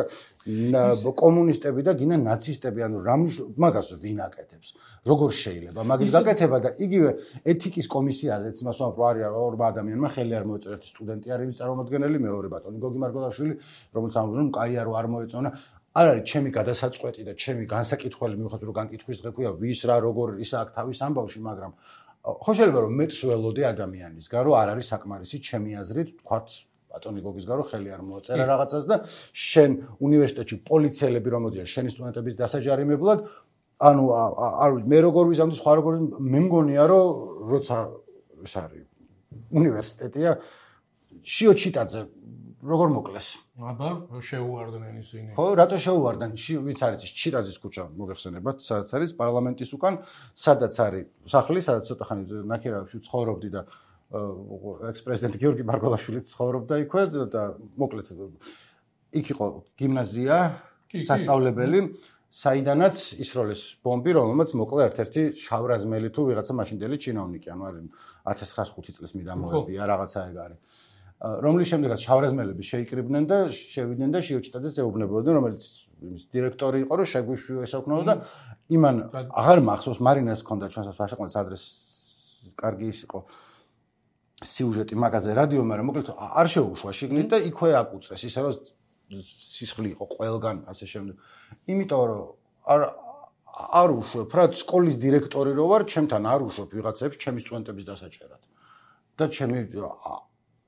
კომუნისტები და გინდა ნაცისტები ანუ რა მაგას ვინ აკეთებს როგორ შეიძლება მაგის გაკეთება და იგივე ეთიკის კომისიაზეც იმას ვამბობ რომ არის ორ ადამიანმა ხელი არ მოეწონა ერთი სტუდენტი არის წარმომადგენელი მეორე ბატონი გოგი მარგველაშვილი რომელიც ამბობს რომ კაია რო არ მოეწონა არ არის ჩემი გადასაწყვეტი და ჩემი განსაკითხველი მიუხედავად რომ განკითხვის დღექვია ვის რა როგორ ისა აქ თავის ამბავში მაგრამ ხო შეიძლება რომ მეტს ველოდე ადამიანისგან რომ არ არის საკმარისი ჩემი აზრით თქვათ ბატონი გოგისგან რომ ხელი არ მოაწერა რაღაცას და შენ უნივერსიტეტში პოლიციელები რომ მოდიან შენი სტუდენტების დასაჯარიმებლად ანუ არ ვიცი მე როგორ ვიზამდი სხვა როგორ მე მგონია რომ როცა ეს არის უნივერსიტეტია შიო ჩიტაძე როგორ მოკლეს აბა შეუვარდნენ ისინი ხო რატო შეუვარდნენ ვინც არის ის ჩიტაძის ქუჩა მოგეხსენებათ სადაც არის პარლამენტის უკან სადაც არის სახლი სადაც ცოტა ხანი ნაკირავებში ცხოვრობდი და ექს-პრეზიდენტი გიორგი მარგველაშვილი ცხოვრობდა იქვე და მოკლედ იქ იყო გიმნაზია სასწავლებელი საიდანაც ისროლის ბომბი რომელმაც მოკლა ერთ-ერთი შავრაზმელი თუ ვიღაცა მაშინდელი ჩინოვნიკი ანუ არის ათას ცხრაასი ხუთი წლის მიდამოებია რაღაცა ეგ არის რომლის შემდეგაც შავრაზმელები შეიკრიბნენ და შევიდნენ და შიოჩიტაძეს ეუბნებოდნენ რომელიც იმის დირექტორი იყო რომ შეგვიშვიო ესაუქნოდა და იმან აღარ მახსოვს მარინას ჰქონდა ჩვენსაც ვაშაყმაძის ადრეს კარგი ის იყო სიუჟეტი მაგაზე რადიო მაგრამ მოკლედ არ შეუშვა შიგნით და იქვე აკუწეს ისე რომ სისხლი იყო ყველგან ასე შემდეგ იმიტომ რომ არ არ უშვებ რა სკოლის დირექტორი რო ვარ ჩემთან არ უშვებ ვიღაცებს ჩემი სტუდენტების დასაჭერად და ჩემი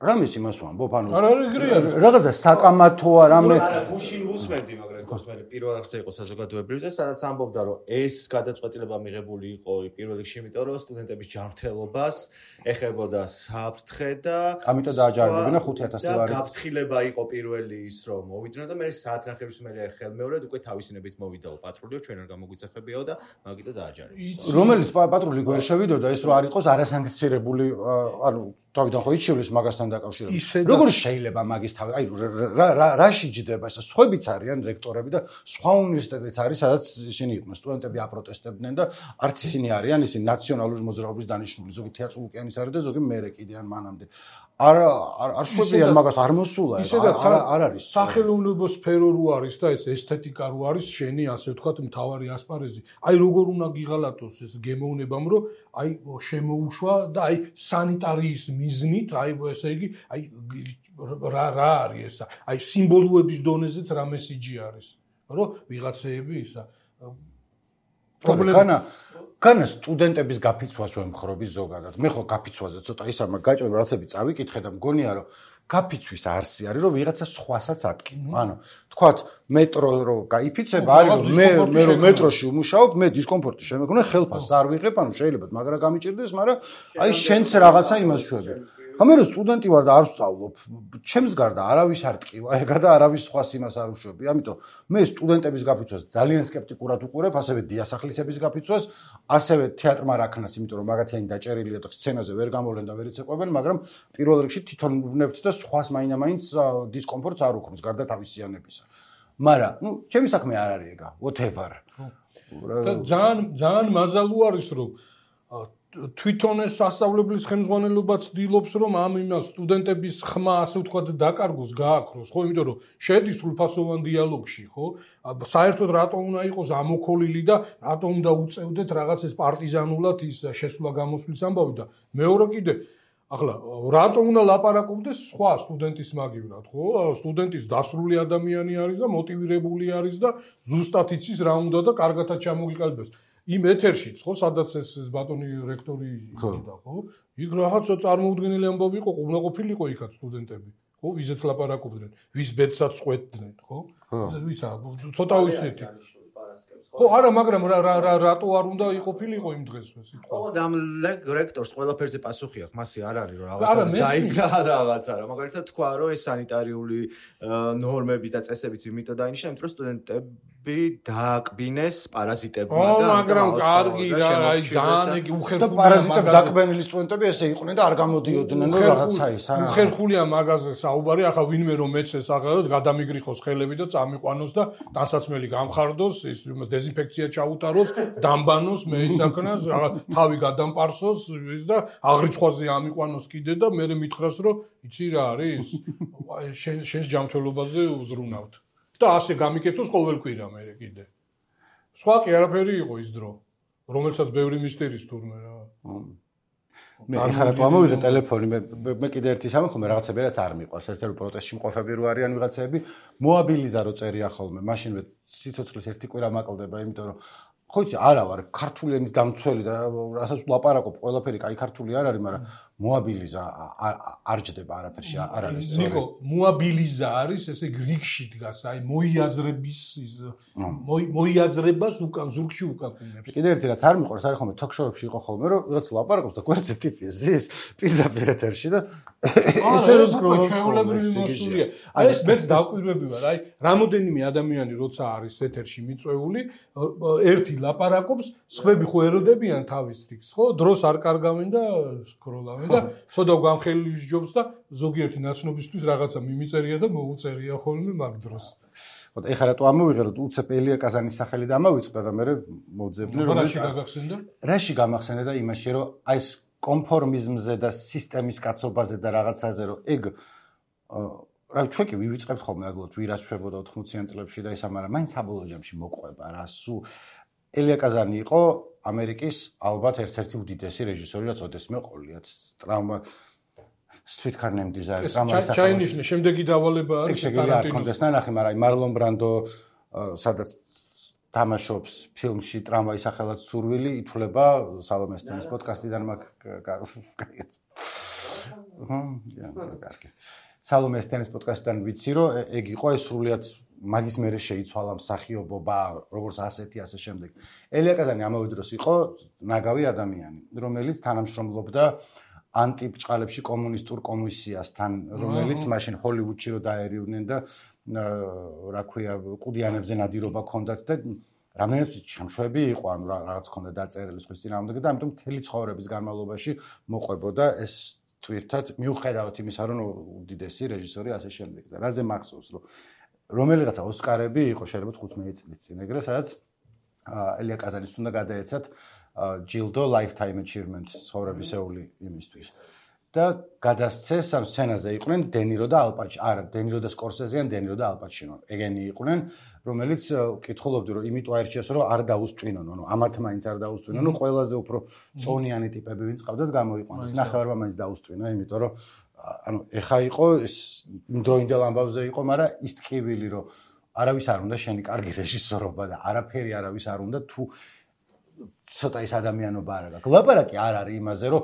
რამის იმას ვამბობ ანუ არ არის ეგრე არის რაღაცა საკამათოა რამე არა გუშინ უსმენდი მაგრამ რექტორს მე პირველ რიგში იყო საზოგადოებრივზე სადაც ამბობდა რომ ეს გადაწყვეტილება მიღებული იყო პირველ რიგში იმიტომ რომ სტუდენტების ჯანმრთელობას ეხებოდა საფრთხე და ამიტომ დააჯარიმებინა ხუთი ათასი ლარი და გაფრთხილება იყო პირველი ის რომ მოვიდნენ და მე საათნახევრის მერე ხელმეორედ უკვე თავისინებით მოვიდაო პატრულიო ჩვენ არ გამოგვიცეხებიაო და მაგიტო დააჯარიმეს რომელიც პატრული გვერ შევიდოდა ეს რო არ იყოს არასანქცირებული ანუ თავიდან ხო იჩივლის მაგასთან დაკავშირებით. როგორ შეიძლება მაგის თავი? აი რა რაში ჯდება ეს? სხვებიც არიან რექტორები და სხვა უნივერსიტეტიც არის, სადაც ისინი იყვნენ სტუდენტები აპროტესტებდნენ და არც ისინი არიან ისინი ნაციონალური მოძრაობის დანიშნული, ზოგი თეატრ ულკიანის არის და ზოგი მერე კიდე ან მანამდე. არ არ შვებიან მაგას არ მოსულა არ არ არის სახელმწიფო სფერო რო არის და ეს ესთეტიკა რო არის შენი ასე ვთქვათ მთავარი ასპარეზი აი როგორ უნდა გიღალატოს ეს გემოვნებამ რომ აი შემოუშვა და აი სანიტარიის მიზნით აი ესე იგი აი რა რა არის ესა აი სიმბოლოების დონეზეც რა მესიჯი არის რომ ვიღაცეები ისა პრობლემა განა სტუდენტების გაფიცვას ვემხრობი ზოგადად. მე ხო გაფიცვაზე ცოტა ისა მაგ გაჭირ რაღაცები წავიკითხე და მგონია რომ გაფიცვის არსი არის რომ ვიღაცა სხვასაც ატკივა. ანუ თქვათ მეტრო რო გაიფიცება არის რომ მე მე რომ მეტროში ვმუშაობ, მე დისკომფორტი შემეგონა ხელფასს არ ვიღებ, ანუ შეიძლება მაგრა გამიჭირდეს, მაგრამ აი შენც რაღაცა იმას შვები. მე რო სტუდენტი ვარ და არ ვსწავლობ, ჩემს გარდა არავის არ ტკივა, ეგა და არავის სხვას იმას არ უშვები. ამიტომ მე სტუდენტების გაფიცვას ძალიან სკეპტიკურად უყურებ, ასევე დიასახლისების გაფიცვას, ასევე თეატრმა რაქნას, იმიტომ რომ მაგათიანი დაჭერილია და სცენაზე ვერ გამოვლენ და ვერ იცეკვებენ, მაგრამ პირველ რიგში თვითონ ვნებთ და სხვას მაინდა-მაინც დისკომფორტს არ უქმნის გარდა თავისიანებისა. მაგრამ, ნუ, ჩემი საქმე არ არის ეგა, whatever. და ძალიან ძალიან მაზალუ არის რომ თვითონ ეს სასწავლებლის ხელმძღვანელობა ცდილობს რომ ამ იმას სტუდენტების ხმა ასე ვთქვათ დაკარგოს, გააქროს, ხო, იმიტომ რომ შედის სრულფასოვან დიალოგში, ხო? საერთოდ რატო უნდა იყოს ამოქოლილი და რატო უნდა უწევდეთ რაღაც ეს პარტიზანულად ის შესვლა გამოსვლის ამბავი და მეორე კიდე ახლა რატო უნდა ლაპარაკობდეს სხვა სტუდენტის მაგივრად, ხო? სტუდენტის დასრული ადამიანი არის და მოტივირებული არის და ზუსტად იცის რა უნდა და კარგათაც ჩამოგიყალიბებს. იმ ეთერშიც ხო სადაც ეს ბატონი რექტორი იჯდა ხო იქ რაღაცა წარმოუდგენელი ამბავი იყო უნდა ყოფილიყო იქაც სტუდენტები ხო ვიზეც ლაპარაკობდნენ ვის ბედსაც წყვეტდნენ ხო ვისა ცოტა ვისეთი ხო არა მაგრამ რა რა რატო არ უნდა იყოფილიყო იმ დღეს ეს სიტყვა ხო და ამ რექტორს ყველაფერზე პასუხი აქვს მასე არ არის რომ რაღაცას დაიგდა რაღაცა რა მაგალითად თქვა რომ ეს სანიტარიული ნორმები და წესებიც იმიტომ დაინიშნა იმიტომ რომ სტუდენტები დააკბინეს პარაზიტებმა და მაგრამ კარგი რა აი ძალიან იგი უხერხულია და პარაზიტები დააკბენილი სტუდენტები ესე იყვნენ და არ გამოდიოდნენ რომ რაღაცა ის არა უხერხულია მაგაზე საუბარი ახლა ვინმე რომ მეცეს აღარ გადამიგრიხოს ხელები და წამიყვანოს და დასაცმელი გამხარდოს ის დეზინფექცია ჩაუტაროს, დამბანოს, მე ისაკნას, თავი გადამპარსოს და აღრიცხვაზე ამიყვანოს კიდე და მე მითხრას რომ იცი რა არის? შენ შენს ჯანმრთელობაზე უზრუნავთ. და ასე გამიკეთოს ყოველ კვირა მე კიდე. სხვა კი არაფერი იყო ის დრო, რომელსაც ბევრი მისტერის თურმე რა. მე ახლა თუ ამოვიღე ტელეფონი, მე მე კიდე ერთი სამი ხომ რაღაცები რაც არ მიყვარს, ერთ-ერთი პროტესტში მყოფები რო არიან ვიღაცები, მოაბილიზა რო წერია ხოლმე, მაშინ მე სიცოცხლის ერთი კვირა მაკლდება, იმიტომ რომ ხო იცი, არა ვარ ქართული ენის დამცველი და რასაც ლაპარაკობ, ყველაფერი კაი ქართული არ არის, მაგრამ მოაბილიზა არ ჯდება არაფერში, არ არის. ნიკო, მოაბილიზა არის ესე გრიგში დგას, აი მოიაზრების ის მოიაზრებას უკან ზურგში უკაკუნებს. კიდე ერთი რაც არ მიყვარს, არის ხოლმე ток-შოუებში იყო ხოლმე, რომ ვიღაც ლაპარაკობს და გვერდზე ტიპი ზის, პირდაპირ ეთერში და ესე რო სკროლობს, ჩვეულებრივი მოსულია. აი ეს მეც დაკვირვები ვარ, აი რამოდენიმე ადამიანი როცა არის ეთერში მიწვეული, ერთი ლაპარაკობს, სხვები ხო ეროდებიან თავის რიგს, ხო? დროს არ კარგავენ და სკროლავენ და ხოდა გამხელის ჯობს და ზოგიერთი ნაცნობისთვის რაღაცა მიმიწერია და მოუწერია ხოლმე მაგ დროს. ხო, ეხლა რატო ამოვიღე რომ უცებ ელია კაზანის სახელი დამოვიწყდა და მე მოძებნე რომ რაში გაგახსენდა? რაში გამახსენდა და იმაში რომ აი ეს კონფორმიზმზე და სისტემის კაცობაზე და რაღაცაზე რომ ეგ რა ჩვენ კი ვივიწყებთ ხოლმე აგლოთ ვირას შვებოდა ოთხმოციან წლებში და ისა მაგრამ მაინც საბოლოო ჯამში მოყვება რა სუ ელია კაზანი იყო ამერიკის ალბათ ერთ-ერთი უდიდესი რეჟისორი რაც ოდესმე ყოლიათ ტრაუმა Streetcar Named Desire ტრაუმა ჩაინიშნე შემდეგი დავალება არის ტარანტინოს ნახე მაგრამ მარლონ ბრანდო სადაც თამაშობს ფილმში ტრამვაის სახელად სურვილი ითვლება სალომე სტენის პოდკასტიდან მაგ კაიეთ კარგი სალომე სტენის პოდკასტიდან ვიცი რომ ეგ იყო ეს სრულიად მაგის მერე შეიცვალა მსახიობობა როგორც ასეთი ასე შემდეგ ელია კაზანი ამავე დროს იყო ნაგავი ადამიანი რომელიც თანამშრომლობდა ანტიბჭყალებში კომუნისტურ კომისიასთან რომელიც მაშინ ჰოლივუდში რო დაერივნენ და რა ქვია ყუდიანებზე ნადირობა ჰქონდათ და რამდენიც ჩამშვები იყო ანუ რაღაც ჰქონდა დაწერილი სხვის წინააღმდეგ და ამიტომ მთელი ცხოვრების განმავლობაში მოყვებოდა ეს თვირთად მიუხედავად იმისა რომ უდიდესი რეჟისორი ასე შემდეგ და რაზე მახსოვს რომ რომელიღაცა ოსკარები იყო შეიძლება თხუთმეტი წლის წინ ეგრე სადაც ელია კაზანის უნდა გადაეცათ ჯილდო lifetime achievement ცხოვრებისეული იმისთვის და გადასცეს ამ სცენაზე იყვნენ დენირო და ალპაჩინო. არა, დენირო და სკორსეზე ან დენირო და ალპაჩინო. ეგენი იყვნენ, რომელიც კითხულობდი რომ იმიტომ აირჩიეს რომ არ დაუსტვინონ, ანუ ამათ მაინც არ დაუსტვინონ, ნუ ყველაზე უფრო წონიანი ტიპები ვინც ყავდათ გამოიყვანეს. ნახევარმა მაინც დაუსტვინა, იმიტომ რომ ანუ ეხა იყო იმ დროინდელ ამბავზე იყო, მაგრამ ის ტკივილი რომ არავის არ უნდა შენი კარგი რეჟისორობა და არაფერი არავის არ უნდა თუ ცოტა ის ადამიანობა არ აქვს. ლაპარაკი არ არის იმაზე, რომ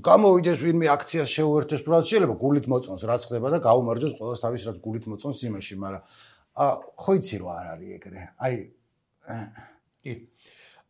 გამოვიდეს ვინმე აქციას შეუერთდეს, თუ რაც შეიძლება გულით მოწონს, რაც ხდება და გაუმარჯოს ყველას თავის რაც გულით მოწონს იმაში, მაგრამ ხო იცი რომ არ არის ეგრე. აი კი.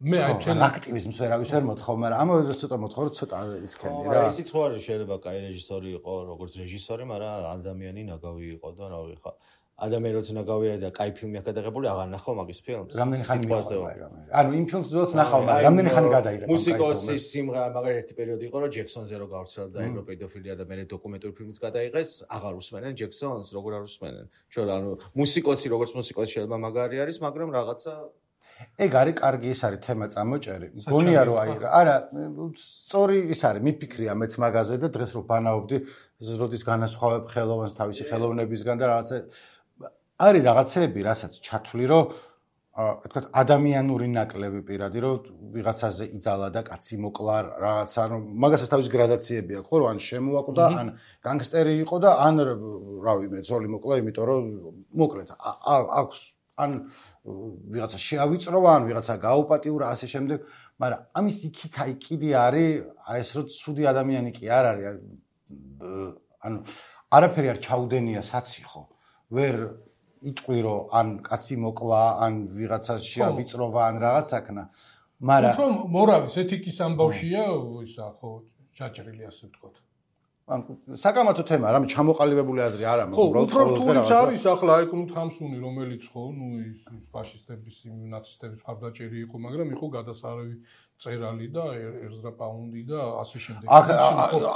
მე აი ჩვენ აქტივიზმს ვერავის ვერ მოთხოვ, მაგრამ ამავე დროს ცოტა მოთხოვ, რომ ცოტა ისქენდი რა. ისიც ხო არის, შეიძლება კაი რეჟისორი იყო, როგორც რეჟისორი, მაგრამ ადამიანი ნაგავი იყო და რა ვიცი ხა ადამიანი როცა ნაგავია და კაი ფილმი აქვს გადაღებული, აღარ ნახავ მაგის ფილმს. რამდენი ხანი მიყვება? ანუ იმ ფილმს ძველს ნახავ, მაგრამ რამდენი ხანი გადაიღე? მუსიკოსის სიმღერა, მაგრამ ერთი პერიოდი იყო, რომ ჯექსონზე რო გავრცელდა ევროპედოფილია და მე დოკუმენტური ფილმიც გადაიღეს, აღარ უსმენენ ჯექსონს, როგორ არ უსმენენ. ჩვენ ანუ მუსიკოსი როგორც მუსიკოსი შეიძლება მაგარი არის, მაგრამ რაღაცა ეგ არის კარგი ის არის თემა წამოჭერი. გონია რომ აი არა, სწორი ის არის, მიფიქრია მეც მაგაზე და დღეს რო ბანაობდი, როდის განასხვავებ ხელოვანს თავისი ხელოვნებისგან და რაღაცა არის რაღაცეები, რასაც ჩათვლი, რომ აა თქვა ადამიანური ნაკლები პირადი, რომ ვიღაცაზე იძალა და კაცი მოკლა რაღაცა, რომ მაგასაც თავის გრადაციები აქვს, ხო, რომ ან შემოაკვდა, ან განგსტერი იყო და ან რავი, მე ძოლი მოკლა, იმიტომ რომ მოკლედ აქვს ან ვიღაცა შეავიწროვა, ან ვიღაცა გაუპატიურა, ასე შემდეგ, მაგრამ ამის იქით აი კიდე არის, აი ეს რომ ცუდი ადამიანი კი არ არის, ანუ არაფერი არ ჩაუდენია საციხო, ვერ იტყვი რომ ან კაცი მოკლა, ან ვიღაცა შეავიწროვა, ან რაღაც აქნა, მაგრამ უფრო მორავის ეთიკის ამბავშია ისა ხო ჩაჭრილი ასე ვთქვათ. ან საკამათო თემა, რამე ჩამოყალიბებული აზრი არ ამაქვს, უბრალოდ უფრო რთულიც არის ახლა აი კნუტ ჰამსუნი, რომელიც ხო, ნუ ის ფაშისტების, ნაცისტების მხარდაჭერი იყო, მაგრამ იყო გადასარევი წერალი და ერზრა პაუნდი და ასე შემდეგ. აქ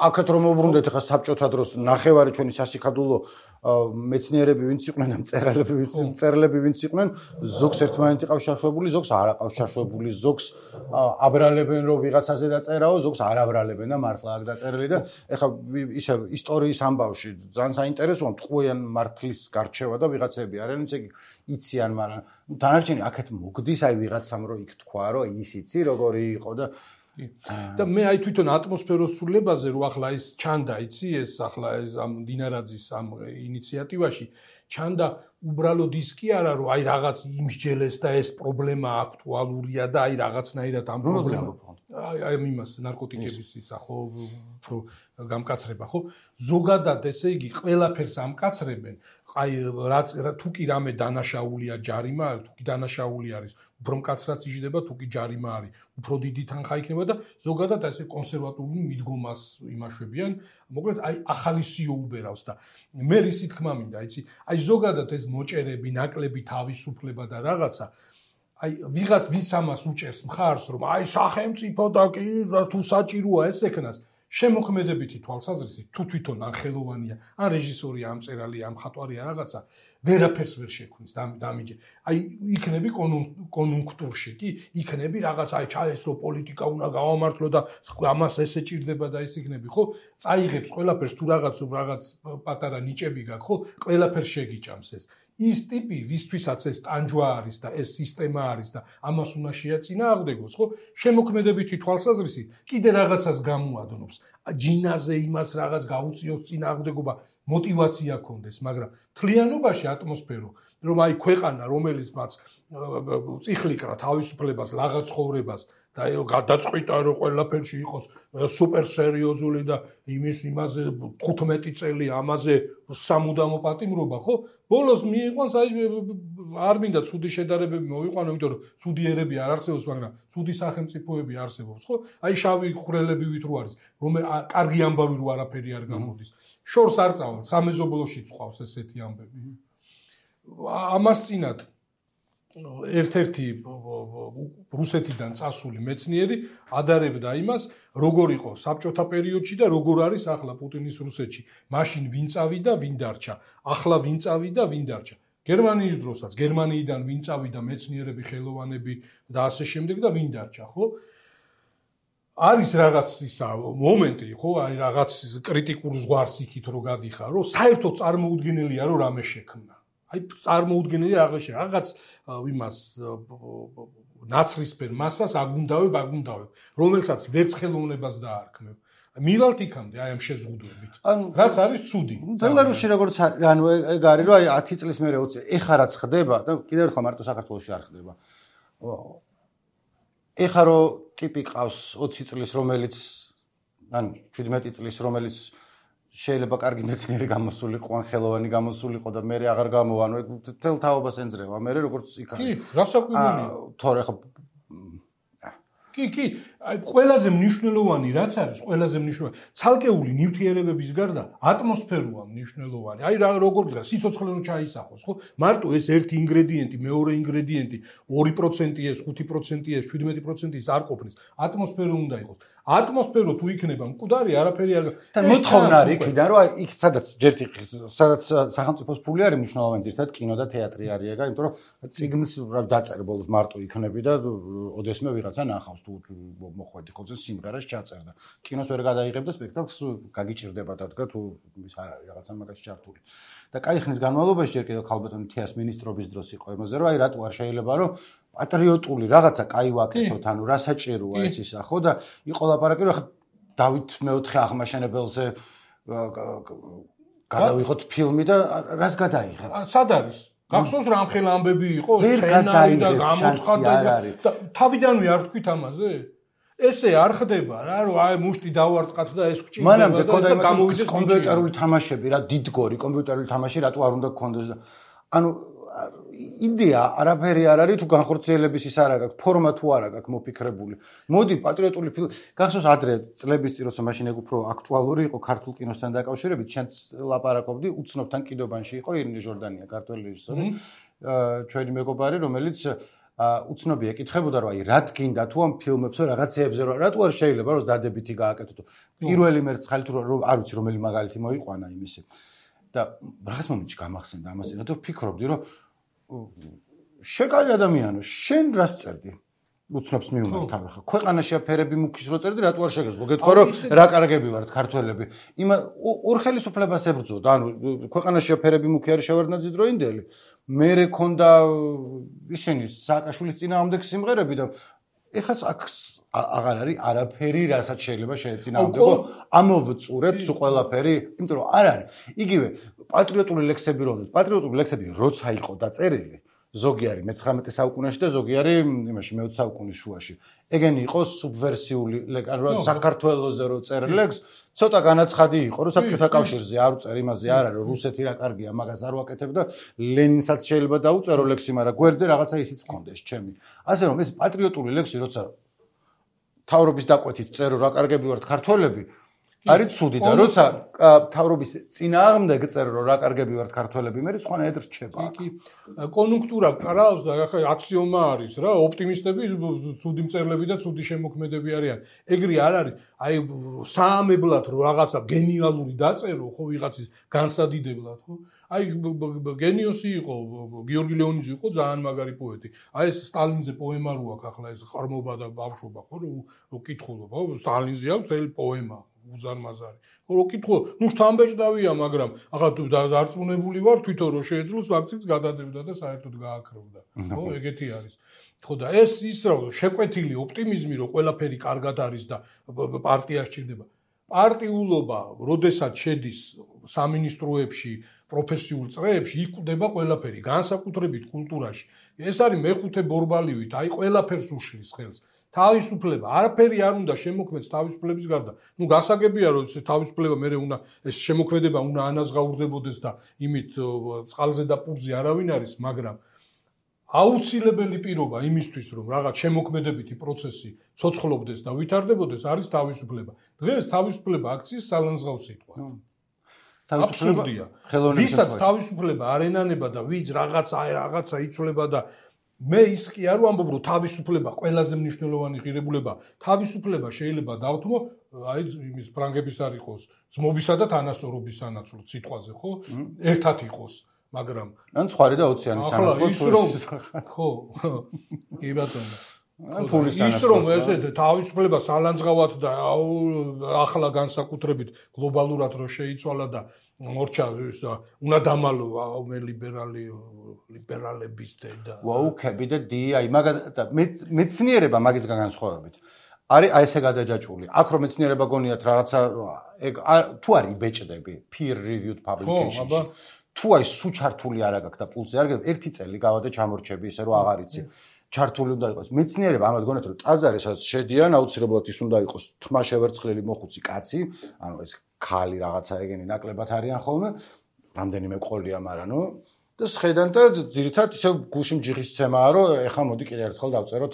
აქეთ რომ მოbrunდეთ ახლა საბჭოთა დროს ნახევარი ჩვენი სასიკადულო მეცნიერები ვინც იყვნენ და მწერალები ვინც მწერლები ვინც იყვნენ, ზოგს ერთმანეთი ყავს შაშვებული, ზოგს არ ყავს შაშვებული, ზოგს აბრალებენ რომ ვიღაცაზე დაწერაო, ზოგს არ აბრალებენ და მართლა აქ დაწერილი და ეხლა ისე ისტორიის ამბავში ძალიან საინტერესოა მტყუიან მართლის გარჩევა და ვიღაცები არიან, ვინც იციან, მაგრამ დანარჩენი აქეთ მოგდის აი ვიღაცამ რომ იქ თქვა რომ ის იცი როგორი იყო და და მე აი თვითონ ატმოსფეროს სრულებაზე რო ახლა ის ჩანდა იცი ეს ახლა ეს ამ დინარაძის ამ ინიციატივაში ჩანდა უბრალოდ ის კი არა რომ აი რაღაც იმსჯელეს და ეს პრობლემა აქტუალურია და აი რაღაცნაირად ამ პრობლემა აი აი იმას ნარკოტიკების ისა ხო უფრო გამკაცრება ხო ზოგადად ესე იგი ყველაფერს ამკაცრებენ აი რაც თუ კი რამე დანაშაულია ჯარიმა თუ კი დანაშაული არის უფრო მკაცრად იჯდება თუ კი ჯარიმა არის უფრო დიდი თანხა იქნება და ზოგადად ესე კონსერვატული მიდგომას იმაშვებიან მოკლედ აი ახალი სიო უბერავს და მე რისი თქმა მინდა იცი აი ზოგადად ეს მოჭერები ნაკლები თავისუფლება და რაღაცა აი ვიღაც ვის ამას უჭერს მხარს რომ აი სახელმწიფო და კი თუ საჭიროა ეს ეკნას შემოქმედებითი თვალსაზრისით თუ თვითონ ან ხელოვანია ან რეჟისორია ამ წერალია ამ ხატვარია რაღაცა ვერაფერს ვერ შექმნის დამიჯე აი იქნები კონუნქტურში კი იქნები რაღაც აი ჩაესრო პოლიტიკა უნდა გავამართლო და ამას ესე ჭირდება და ეს იქნები ხო წაიღებს ყველაფერს თუ რაღაც რაღაც პატარა ნიჭები გაქვს ხო ყველაფერს შეგიჭამს ეს ის ტიპი ვისთვისაც ეს ტანჯვა არის და ეს სისტემა არის და ამას უნდა შეაწინააღმდეგოს ხო შემოქმედებითი თვალსაზრისით კიდე რაღაცას გამოადნობს ჯინაზე იმას რაღაც გაუწიოს წინააღმდეგობა мотивация კონდეს, მაგრამ თლიანობაში ატმოსფერო, რომ აი ქვეყანა, რომელიც მას წიხლიკრა თავისუფლებას, რაღაც ცხოვრებას და გადაწყვიტა რომ ყველაფერში იყოს სუპერ სერიოზული და იმის იმაზე თხუთმეტი წელი ამაზე სამუდამო პატიმრობა, ხო? ბოლოს მიიყვანს აი არ მინდა ცუდი შედარებები მოვიყვანო, იმიტომ რომ ცუდი ერები არ არსებობს, მაგრამ ცუდი სახელმწიფოები არსებობს, ხო? აი შავი ხვრელები ვით რო არის, რომ კარგი ამბავი რო არაფერი არ გამოდის. შორს არ წავალ, სამეზობლოში წყვავს ესეთი ამბები. ამას წინათ ერთ-ერთი რუსეთიდან წასული მეცნიერი ადარებდა იმას, როგორ იყო საბჭოთა პერიოდში და როგორ არის ახლა პუტინის რუსეთში. მაშინ ვინ წავიდა, ვინ დარჩა. ახლა ვინ წავიდა, ვინ დარჩა. გერმანიის დროსაც, გერმანიიდან ვინ წავიდა მეცნიერები, ხელოვანები და ასე შემდეგ და ვინ დარჩა, ხო? არის რაღაც ისა მომენტი, ხო, აი რაღაც კრიტიკულ ზღვარს იქით რო გადიხარ, რომ საერთოდ წარმოუდგენელია რომ რამე შექმნა. აი წარმოუდგენელია რაღაც რაღაც იმას ნაცრისფერ მასას აგუნდავებ, აგუნდავებ, რომელსაც ვერც ხელოვნებას დაარქმევ. მივალთ იქამდე აი ამ შეზღუდვებით. რაც არის ცუდი. ბელარუსში როგორც ანუ ეგ არის რომ აი ათი წლის მერე ოცი ეხა რაც ხდება და კიდევ ერთხელ მარტო საქართველოში არ ხდება. ეხა რო ტიპი ყავს ოცი წლის რომელიც ანუ შვიდმეტი წლის რომელიც შეიძლება კარგი მეცნიერი გამოსულიყო ან ხელოვანი გამოსულიყო და მე აღარ გამოვა ანუ ეგ თელ თაობას ენძრევა მე როგორც იქ კი რასაკვირველია თორე ხო კი კი აი ყველაზე მნიშვნელოვანი რაც არის ყველაზე მნიშვნელოვანი ცალკეული ნივთიერებების გარდა ატმოსფეროა მნიშვნელოვანი აი რა როგორ გდა სიცოცხლე რო ჩაისახოს ხო მარტო ეს ერთი ინგრედიენტი მეორე ინგრედიენტი ორი პროცენტი ეს ხუთი პროცენტი ეს შვიდმეტი პროცენტი ის არ ყოფნის ატმოსფერო უნდა იყოს ატმოსფერო თუ იქნება მკვდარი არაფერი არ და მოთხოვნა არის იქიდან რომ აი იქ სადაც ჯერთი სადაც სახელმწიფოს ფული არის მნიშვნელოვანი ზირთად კინო და თეატრი არის ეგა იმიტომ რომ წიგნს რა დაწერე ბოლოს მარტო იქნები და ოდესმე ვიღაცა ნახავს თუ მოხვედი ხოლმე სიმღერას ჩაწერდა კინოს ვერ გადაიღებდა სპექტაკლს გაგიჭირდება დადგა თუ ის არ არის რაღაცა მაგაში ჩართული და კაი ხნის განმავლობაში ჯერ კიდევ ქალბატონი თეას მინისტრობის დროს იყო იმაზე რომ აი რატო არ შეიძლება რომ პატრიოტული რაღაცა კაი ვაკეთოთ ანუ რა საჭიროა ეს ისა ხო და იყო ლაპარაკი რომ ხა დავით მეოთხე აღმაშენებელზე გადავიღოთ ფილმი და რას გადაიღებ სად არის გახსოვს რამხელა ამბები იყო სცენარი და გამოცხადა და თავიდანვე არ თქვით ამაზე ესე არ ხდება რა რომ აი მუშტი დავარტყათ და ეს გჭირდება და გამოვიდეს კომპიუტერული თამაშები რა დიდგორი კომპიუტერული თამაში რატო არ უნდა გქონდეს და ანუ იდეა არაფერი არ არის თუ განხორციელების ის არ აქვს ფორმა თუ არ აქვს მოფიქრებული მოდი პატრიოტული ფილმი გახსოვს ადრე წლების წინ როცა მაშინ ეგ უფრო აქტუალური იყო ქართულ კინოსთან დაკავშირებით შენც ლაპარაკობდი უცნობთან კიდობანში იყო ირინე ჟორდანია ქართველი რეჟისორი ჩვენი მეგობარი რომელიც უცნობი ეკითხებოდა რომ აი რა გინდა თუ ამ ფილმებზე რაღაცეებზე რომ რატო არ შეიძლება რომ დადებითი გააკეთო პირველი მერცხალი თუ არ ვიცი რომელი მაგალითი მოიყვანა იმისი და რაღაც მომენტში გამახსენდა ამას და ვფიქრობდი რომ შეკალი ადამიანო შენ რას წერდი უცნობს მიუნდა თავი ხო ქვეყანაში აფერები მუქის რო წერდი რატო არ შეგეძლო გეთქვა რომ რა კარგები ვართ ქართველები იმ ორ ხელისუფლებას ებრძოდა ანუ ქვეყანაში აფერები მუქი არის შევარდნაძის დროინდელი მე რეკონდა ისინი სააკაშვილის წინააღმდეგ სიმღერები და ეხაც აქ აღარ არის არაფერი რასაც შეიძლება შეეწინააღმდეგო ამოვწურეთ სულ ყველაფერი იმიტომ რომ არ არის იგივე პატრიოტული ლექსები რომ პატრიოტული ლექსები როცა იყო დაწერილი ზოგი არის მეცხრამეტე საუკუნეში და ზოგი არის იმაში მეოცე საუკუნის შუაში ეგენი იყო სუბვერსიული ანუ საქართველოზე რო წერ ლექს ცოტა განაცხადი იყო რომ საბჭოთა კავშირზე არ უწერ იმაზე არ არის რუსეთი რა კარგია მაგას არ ვაკეთებ და ლენინსაც შეიძლება დაუწერო ლექსი მაგრამ გვერდზე რაღაცა ისიც მქონდეს ჩემი ასე რომ ეს პატრიოტული ლექსი როცა თავრობის დაკვეთით წერო რა კარგები ვართ ქართველები არის ცუდი და როცა თავრობის წინააღმდეგ წერო რომ რა კარგები ვართ ქართველები მე სხვანაირად რჩება კი კონიუნქტურა ყრავს და ახლა აქსიომა არის რა ოპტიმისტები ცუდი მწერლები და ცუდი შემოქმედები არიან ეგრე არ არის აი საამებლად რომ რაღაცა გენიალური დაწერო ხო ვიღაცის განსადიდებლად ხო აი გენიოსი იყო გიორგი ლეონიძე იყო ძალიან მაგარი პოეტი აი ეს სტალინზე პოემა რო აქვს ახლა ეს ხარმობა და ბავშვობა ხო რო კითხულობ ხო სტალინზე აქვს თელი პოემა უზარმაზარი ხო რო კითხულობ ნუ შთამბეჭდავია მაგრამ ახლა თუ დარწმუნებული ვარ თვითონ რო შეეძლოს ვაქცინს გადადებდა და საერთოდ გააქრევდა ხო ეგეთი არის ხო და ეს ის რომ შეკვეთილი ოპტიმიზმი რომ ყველაფერი კარგად არის და პარტია სჭირდება პარტიულობა როდესაც შედის სამინისტროებში პროფესიულ წრეებში იკვდება ყველაფერი განსაკუთრებით კულტურაში ეს არის მეხუთე ბორბალივით აი ყველაფერს უშლის ხელს თავისუფლება არაფერი არ უნდა შემოქმედს თავისუფლების გარდა ნუ გასაგებია რომ ეს თავისუფლება მე უნდა ეს შემოქმედება უნდა ანაზღაურდებოდეს და იმით წყალზე და პურზე არავინ არის მაგრამ აუცილებელი პირობა იმისთვის რომ რაღაც შემოქმედებითი პროცესი ცოცხლობდეს და ვითარდებოდეს არის თავისუფლება დღეს თავისუფლება აქციის სალანძღავ სიტყვა აბსურდია ვისაც თავისუფლება არ ენანება და ვიც რაღაცა რაღაცა იცვლება და მე ის კი არ ვამბობ რომ თავისუფლება ყველაზე მნიშვნელოვანი ღირებულება თავისუფლება შეიძლება დავთმო აი იმის ფრანგების არ იყოს ძმობისა და თანასწორობის სანაცვლოდ სიტყვაზე ხო ერთად იყოს მაგრამ ან სხვარი და ოციანი სანაცვლოდ ხო კი ბატონო ის რომ ესე თავისუფლება სალანძღავად და ახლა განსაკუთრებით გლობალურად რო შეიცვალა და მორჩა ის და უნდა დამალო მე ლიბერალი ლიბერალების და ვოუკები და დიაი მაგას და მეცნიერება მაგისგან განსხვავებით არის აი ესე გადაჯაჭვული აქ რომ მეცნიერება გონიათ რაღაცა ეგ თუ არის იბეჭდები peer reviewed publication-ში თუ აი სუ ჩართული არ აქვს და პულზე არ გეტყვი ერთი წელი გავადა ჩამორჩები ისე რომ აღარ იცი ჩართული უნდა იყოს მეცნიერება ამას გონიათ რომ ტაძარი სადაც შედიან აუცილებლად ის უნდა იყოს თმა შევერცხლილი მოხუცი კაცი ანუ ეს ქალი რაღაცა ეგენი ნაკლებად არიან ხოლმე რამდენიმე ყოლია მაგრამ ნუ და შედან და ძირითადად ისე გულში მჯიხის ცემაა რომ ეხლა მოდი კიდე ერთხელ დავწეროთ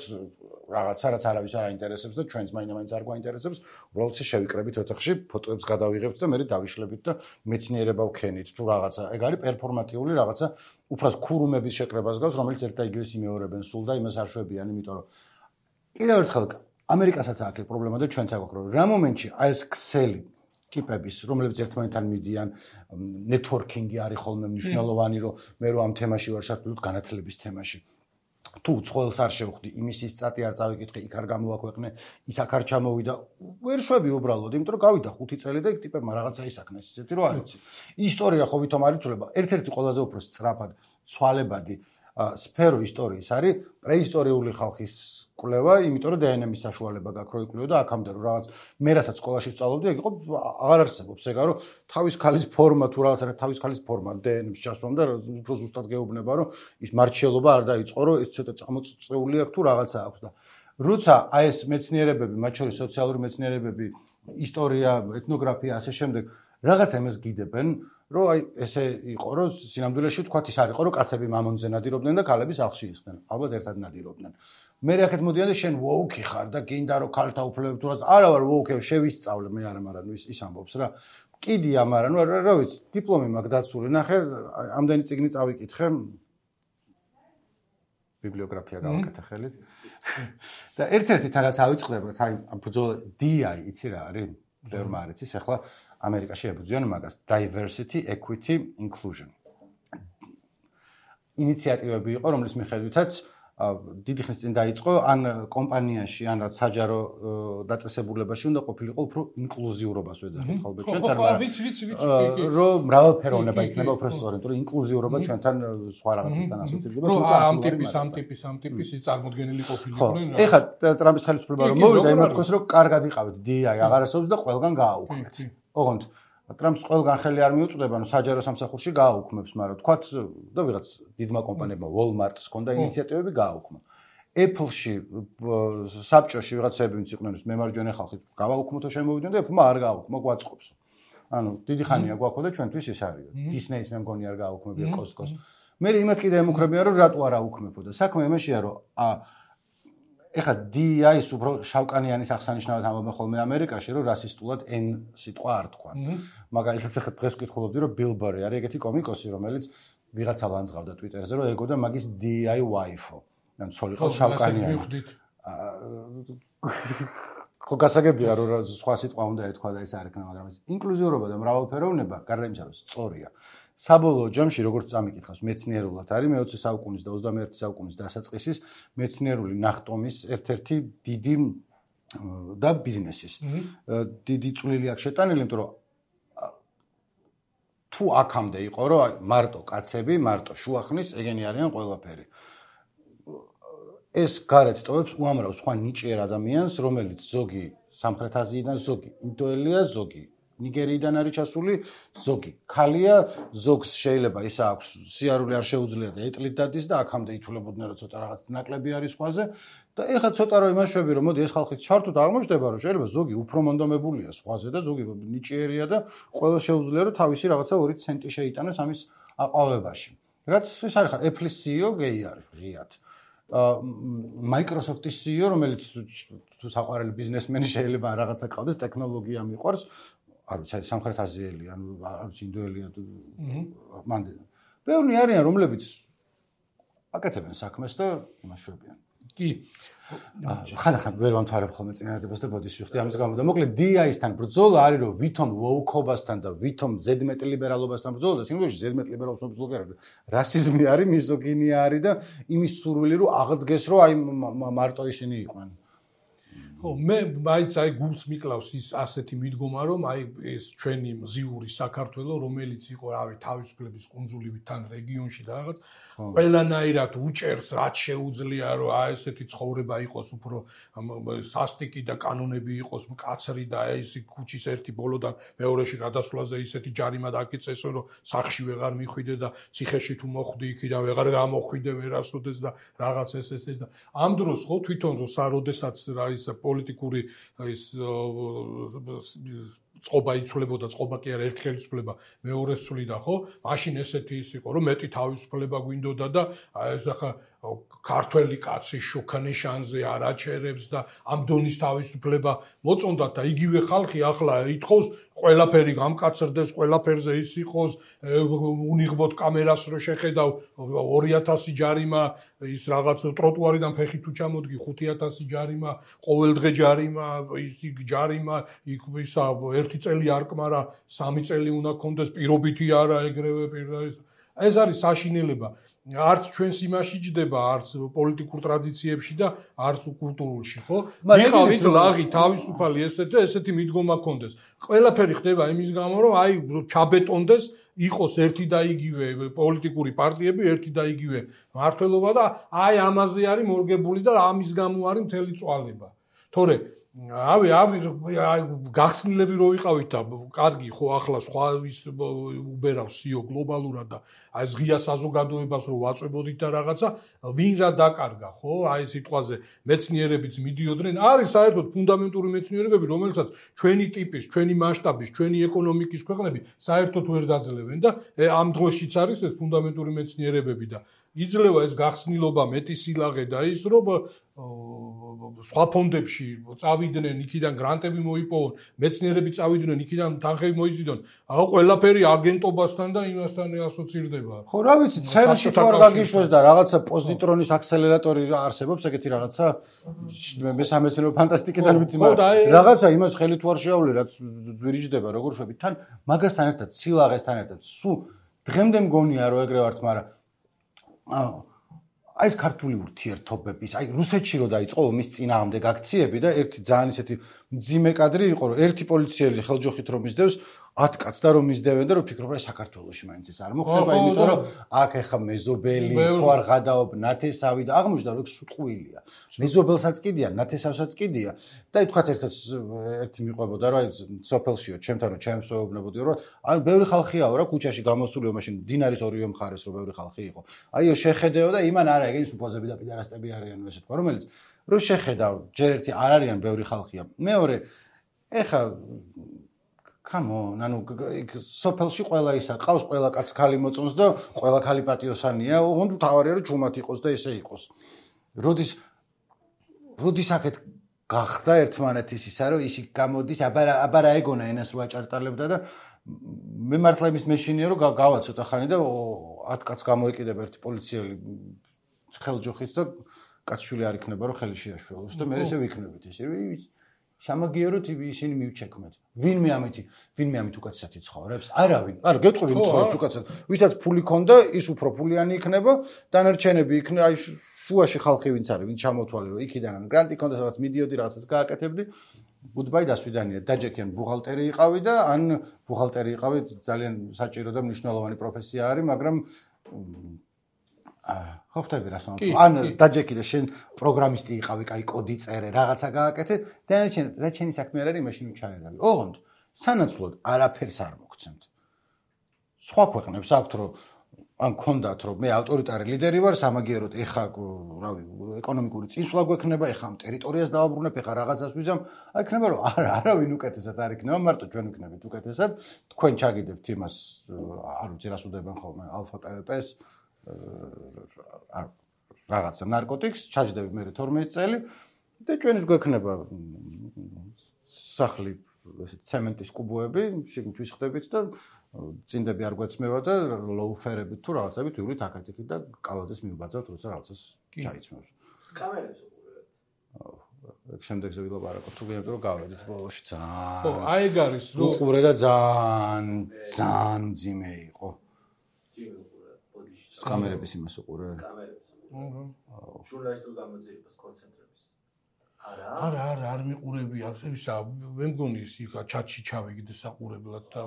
რაღაცა რაც არავის არ აინტერესებს და ჩვენს მაინც არ გვაინტერესებს უბრალოდ ისე შევიკრებით ოთახში ფოტოებს გადავიღებთ და მე დავიშლებით და მეცნიერება ვქენით თუ რაღაცა ეგ არის პერფორმატიული რაღაცა უფროს ქურუმების შეკრებას გავს რომელიც ერთ და იგივეს იმეორებენ სულ და იმას არ შვებიან იმიტომ რომ კიდევ ერთხელ ამერიკასაც აქვს პრობლემა და ჩვენც აქვს რომ რა მომენტში აი ეს ქსელი ტიპების რომლებიც ერთმანეთთან მიდიან ნეტვორკინგი არის ხოლმე მნიშვნელოვანი რომ მე რო ამ თემაში ვარ შევხვდით განათლების თემაში თუ ცხოველს არ შევხვდი იმის ის წატი არ წავიკითხე იქ არ გამოვაქვეყნე ის აქ არ ჩამოვიდა ვერ შვები უბრალოდ იმიტომ რომ გავიდა ხუთი წელი და ტიპებმა რაღაცა ისაქნეს ისეთი რომ არ იცი ისტორია ხო ვითომ არ იცვლება ერთ-ერთი ყველაზე უფრო სწრაფად ცვალებადი სფერო ისტორიის არის პრეისტორიული ხალხის კვლევა, იმიტომ რომ დე εν ემ-ის საშუალება გაქვს რო იკვლევო და აქამდე რომ რაღაც მე რასაც სკოლაში სწავლობდი, ეგ იყო აღარ არსებობს ეგ რომ თავის ქალის ფორმა თუ რაღაცა თავის ქალის ფორმა დე εν ემ-ს ჩასვამ და უფრო ზუსტად გეუბნება რომ ის მარჩიელობა არ დაიწყო რომ ეს ცოტა წამოწეული აქვს თუ რაღაცა აქვს და როცა აი ეს მეცნიერებები, მათ შორის სოციალური მეცნიერებები, ისტორია, ეთნოგრაფია ასე შემდეგ რაღაცა იმას გიდებენ რომ აი ესე იყო რომ სინამდვილეში თქვათ ის არ იყო რომ კაცები მამონზე ნადირობდნენ და ქალები სახლში ისხდნენ ალბათ ერთად ნადირობდნენ მე რაკეთ მოდიან და შენ ვოუკი ხარ და გინდა რომ ქალთა უფლებები თუ რაღაც არა ვარ ვოუკი შევისწავლე მე არა მაგრამ ის ის ამბობს რა კიდია მაგრამ ნუ რა ვიცი დიპლომი მაქვს დაცული ნახე ამდენი წიგნი წავიკითხე ბიბლიოგრაფია გავაკეთე ხელით და ერთ-ერთი თან რაც ავიწყდება თან ბრძოლა დი აი იცი რა არის ბევრმა არ იცის ახლა ამერიკაში ებრძვიან მაგას diversity equity inclusion ინიციატივები იყო რომლის მიხედვითაც დიდი ხნის წინ დაიწყო ან კომპანიაში ან რაც საჯარო დაწესებულებაში უნდა ყოფილიყო უფრო ინკლუზიურობას ვეძახით ხოლმე ჩვენთან ხო ვიცი ვიცი ვიცი რომ მრავალფეროვნება იქნება უფრო სწორი იმიტომ რომ ინკლუზიურობა ჩვენთან სხვა რაღაცისგან ასოცირდება თუმცა ამ ტიპის ამ ტიპის ამ ტიპის ის წარმოდგენილი ყოფილიყვნენ რა ეხლა ტრამპის ხელისუფლება რომ მოვიდა იმათქოს რომ კარგად იყავით დი აი აღარ ასობს და ყველგან გააუქმეთ ოღონდ ტრამპს ყველგან ხელი არ მიუწვდება, ანუ საჯარო სამსახურში გააუქმებს, მაგრამ თქვათ და ვიღაც დიდმა კომპანიებმა Walmart-ს ჰქონდა ინიციატივები გააუქმა. Apple-ში საბჭოში ვიღაცები ვინც იყვნენ მემარჯვენე ხალხი გავაუქმოთ და შემოვიდნენ და Apple-მა არ გააუქმა, გვაწყობს. ანუ დიდი ხანია გვაქვს და ჩვენთვის ეს არის. Disney-ს მე მგონი არ გააუქმებია Costco-ს. მე იმათ კიდე ემუქრებია რომ რატო არ აუქმებო და საქმე იმაშია რომ ა ეხა დი აი-ს უფრო შავკანიანის აღსანიშნავად ამბობენ ხოლმე ამერიკაში, რომ რასისტულად N სიტყვა არ თქვან. მაგალითად ახლა დღეს ვკითხულობდი, რომ Bill Burr არის ეგეთი კომიკოსი, რომელიც ვიღაცა ლანძღავდა Twitter-ზე, რომ ეგოდა მაგის დი აი wife-ო. ან ცოლიყო შავკანიანი. ხო გასაგებია, რომ სხვა სიტყვა უნდა ეთქვა და ეს არ იქნება, მაგრამ ეს ინკლუზიურობა და მრავალფეროვნება, გარდა იმისა, რომ სწორია. საბოლოო ჯამში როგორც წამიკითხავს მეცნიერულად არის მეოცე საუკუნის და ოცდამეერთე საუკუნის დასაწყისის მეცნიერული ნახტომის ერთ-ერთი დიდი და ბიზნესის დიდი წვლილი აქვს შეტანილი, იმიტომ რომ თუ აქამდე იყო რომ მარტო კაცები, მარტო შუახნის ეგენი არიან ყველაფერი. ეს გარეთ ტოვებს უამრავ სხვა ნიჭიერ ადამიანს, რომელიც ზოგი სამხრეთ აზიიდან, ზოგი ინდოელია, ზოგი ნიგერიიდან არის ჩასული, ზოგი ქალია, ზოგს შეიძლება ისა აქვს სიარული არ შეუძლია და ეტლით დადის და აქამდე ითვლებოდნენ რომ ცოტა რაღაც ნაკლები არის სხვაზე და ეხლა ცოტა რომ იმაშვები რომ მოდი ეს ხალხი ჩართოთ აღმოჩნდება რომ შეიძლება ზოგი უფრო მონდომებულია სხვაზე და ზოგი ნიჭიერია და ყველა შეუძლია რომ თავისი რაღაცა ორი ცენტი შეიტანოს ამის აყვავებაში. რაც ეს არის ხა Apple-ის სი ი ო გეი არის ღიად. Microsoft-ის სი ი ო რომელიც თუ საყვარელი ბიზნესმენი შეიძლება რაღაცა ყავდეს ტექნოლოგია მიყვარს არ ვიცი სამხრეთ აზიელი ან არ ვიცი ინდოელია მანდ ბევრი არიან რომლებიც აკეთებენ საქმეს და იმას შვებიან კი ხან-ხან ვერ ვამთავრებ ხოლმე წინადადებას და ბოდიშს ვიხდი ამის გამო და მოკლედ დი აის-თან ბრძოლა არის რომ ვითომ ვოუქობასთან და ვითომ ზედმეტ ლიბერალობასთან ბრძოლა და სიმბოლოში ზედმეტ ლიბერალობასთან ბრძოლა არის რასიზმი არის მიზოგინია არის და იმის სურვილი რომ აღდგეს რომ აი მარტო ისინი იყვნენ ხო მე მაინც აი გულს მიკლავს ის ასეთი მიდგომა რომ აი ეს ჩვენი მზიური საქართველო რომელიც იყო რავი თავისუფლების კუნძულივით თან რეგიონში და რაღაც ყველანაირად უჭერს რაც შეუძლია რომ აი ესეთი ცხოვრება იყოს უფრო სასტიკი და კანონები იყოს მკაცრი და აი ეს ქუჩის ერთი ბოლოდან მეორეში გადასვლაზე ისეთი ჯარიმა დაკიწესო რომ სახში ვეღარ მიხვიდე და ციხეში თუ მოხვდი იქიდან ვეღარ გამოხვიდე ვერასოდეს და რაღაც ეს ეს ეს და ამ დროს ხო თვითონ რომ საროდესაც რა ის პოლიტიკური ის წყობა იცვლებოდა, წყობა კი არა ერთი ხელისუფლება მეორეს ცვლიდა, ხო? მაშინ ესეთი ის იყო, რომ მეტი თავისუფლება გვინდოდა და აი ეს ახლა ქართველი კაცი შუქანიშანზე არ აჩერებს და ამ დონის თავისუფლება მოწონდათ და იგივე ხალხი ახლა ითხოვს ყველაფერი გამკაცრდეს, ყველაფერზე ის იყოს, უნიღბოდ კამერას რო შეხედავ ორი ათასი ჯარიმა, ის რაღაც ტროტუარიდან ფეხი თუ ჩამოდგი ხუთი ათასი ჯარიმა, ყოველდღე ჯარიმა, ის ჯარიმა, იქ ისა ერთი წელი არ კმარა, სამი წელი უნდა კონდეს, პირობითი არა ეგრევე პირდაპირ. ეს არის საშინელება. არც ჩვენს იმაში ჯდება, არც პოლიტიკურ ტრადიციებში და არც კულტურულში, ხო? მიყავით ლაღი, თავისუფალი ესეთი ესეთი მიდგომა კონდეს. ყველაფერი ხდება იმის გამო, რომ აი ჩაბეტონდეს იყოს ერთი და იგივე პოლიტიკური პარტიები, ერთი და იგივე მმართველობა და აი ამაზე არის მორგებული და ამის გამო არის მთელი წვალება. თორე ავი ავი გახსნილები რო ვიყავით და კარგი ხო ახლა სხვა ის უბერავს სიო გლობალურად და აი ეს ღია საზოგადოებას რო ვაწვებოდით და რაღაცა ვინ რა დაკარგა ხო აი სიტყვაზე მეცნიერებიც მიდიოდნენ არის საერთოდ ფუნდამენტური მეცნიერებები რომელსაც ჩვენი ტიპის ჩვენი მასშტაბის ჩვენი ეკონომიკის ქვეყნები საერთოდ ვერ დაძლევენ და ამ დროშიც არის ეს ფუნდამენტური მეცნიერებები და იძლევა ეს გახსნილობა მეტი სილაღე და ის რომ სხვა ფონდებში წავიდნენ იქიდან გრანტები მოიპოვონ მეცნიერები წავიდნენ იქიდან თანხები მოიზიდონ აღო ყველაფერი აგენტობასთან და იმასთან ასოცირდება ხო რა ვიცი ცერში თუ არ გაგიშვეს და რაღაცა პოზიტრონის აქსელერატორი არსებობს ეგეთი რაღაცა მე სამეცნიერო ფანტასტიკიდან ვიცი მაგრამ რაღაცა იმას ხელი თუ არ შეავლე რაც ძვირიჯდება როგორ შვებით თან მაგასთან ერთად სილაღესთან ერთად სულ დღემდე მგონია რომ ეგრე ვართ მაგრამ აი ეს ქართული ურთიერთობების, აი რუსეთში რო დაიწყო ომის წინააღმდეგ აქციები და ერთი ძალიან ისეთი მძიმე კადრი იყო, რომ ერთი პოლიციელი ხელჯოხით რომ მისდევს ათ კაცს და რომ მისდევენ და რომ ფიქრობ რა საქართველოში მაინც ეს არ მოხდება, იმიტომ რომ აქ ეხა მეზობელი, ხო არ გადაობ ნათესავი და აღმოჩნდა რომ ეგ სუტყვილია. მეზობელსაც კიდია, ნათესავსაც კიდია და აი თქვათ ერთად ერთი მიყვებოდა რომ აი სოფელშიო, ჩემთან რომ ჩემს ვეუბნებოდი რომ აი ბევრი ხალხიაო რა ქუჩაში გამოსულიო მაშინ დინარის ორივე მხარეს რომ ბევრი ხალხი იყო. აიო შეხედეო და იმან არა ეგ ის უპოზები და პიდარასტები არიან ესე თქვა რომელიც რომ შეხედავ ჯერ ერთი არ არიან ბევრი ხალხია. მეორე ეხა Come on, ანუ სოფელში ყველა ისა ყავს, ყველა კაც ქალი მოწონს და ყველა ქალი პატიოსანია, ოღონდ თავარია რომ ჯუმად იყოს და ესე იყოს. როდის როდის აქეთ გახდა ერთმანეთის ისა რომ ისი გამოდის, აბარა აბარა ეგონა ენას რო აჭარტალებდა და მე მართლა იმის მეშინია რომ გავა ცოტა ხანი და ათ კაც გამოეკიდება ერთი პოლიციელი ხელჯოხით და კაცშვილი არ იქნება რომ ხელი შეაშველოს და მე ესე ვიქნებით ესე სამაგიეროთ ისინი მივჩექმეთ. ვინმე ამითი, ვინმე ამით უკაცესად იცხოვრებს? არავინ. არა, გეტყვი ვინ ცხოვრობს უკაცესად. ვისაც ფული ქონდა, ის უფრო ფულიანი იქნება, დანარჩენები იქნება, აი შუაში ხალხი ვინც არის, ვინ ჩამოთვალე რომ იქიდან ან გრანტი ქონდა, სადაც მიდიოდი რაღაცას გააკეთებდი. Goodbye დასვიდანია. დაჯექიან ბუღალტერი იყავი და ან ბუღალტერი იყავი ძალიან საჭირო და მნიშვნელოვანი პროფესია არის, მაგრამ ხო ხტები რა სამ ან დაჯექი და შენ პროგრამისტი იყავი, კაი კოდი წერე, რაღაცა გააკეთე, დანარჩენ რა ჩენი საქმე არ არის, მაშინ ჩაერავი. ოღონდ სანაცვლოდ არაფერს არ მოგცემთ. სხვა ქვეყნებს აქვთ რომ ან გქონდათ რომ მე ავტორიტარი ლიდერი ვარ, სამაგიეროდ ეხა რავი, ეკონომიკური წინსვლა გვექნება, ეხა ამ ტერიტორიას დავაბრუნებ, ეხა რაღაცას ვიზამ, აი იქნება რომ არა, არავინ უკეთესად არ იქნება, მარტო ჩვენ ვიქნებით უკეთესად, თქვენ ჩაგიდებთ იმას, არ ვიცი რას უდებენ ხოლმე, ალფა პე ვე პეს რაღაცა ნარკოტიკს, ჩაჯდები მე თორმეტი წელი და ჩვენის გვექნება სახლი ესეთ ცემენტის კუბოები, შიგნით ვისხდებით და წინდები არ გვეცმევა და ლოუფერებით თუ რაღაცებით ვივლით აქეთ-იქით და კალაძეს მივბაძავთ, როცა რაღაცას ჩაიცმევს. სკამერებს უყურებთ. აუ, შემდეგზე ვილაპარაკოთ, თუ გინდათ რომ გავედით ბოლოში ძალიან. ხო, აი ეგ არის რომ უყურე და ძალიან ძალიან ძიმე იყო. ჯიმე უყურე, ბოდიში. სკამერების იმას უყურე. სკამერებს. აჰა. ჟურნალისტურ გამოძიებას კონცენტრების. არა. არა, არა, არ მიყურები აქვს, ისა, მე მგონი ის იქა ჩატში ჩავიგდე საყურებლად და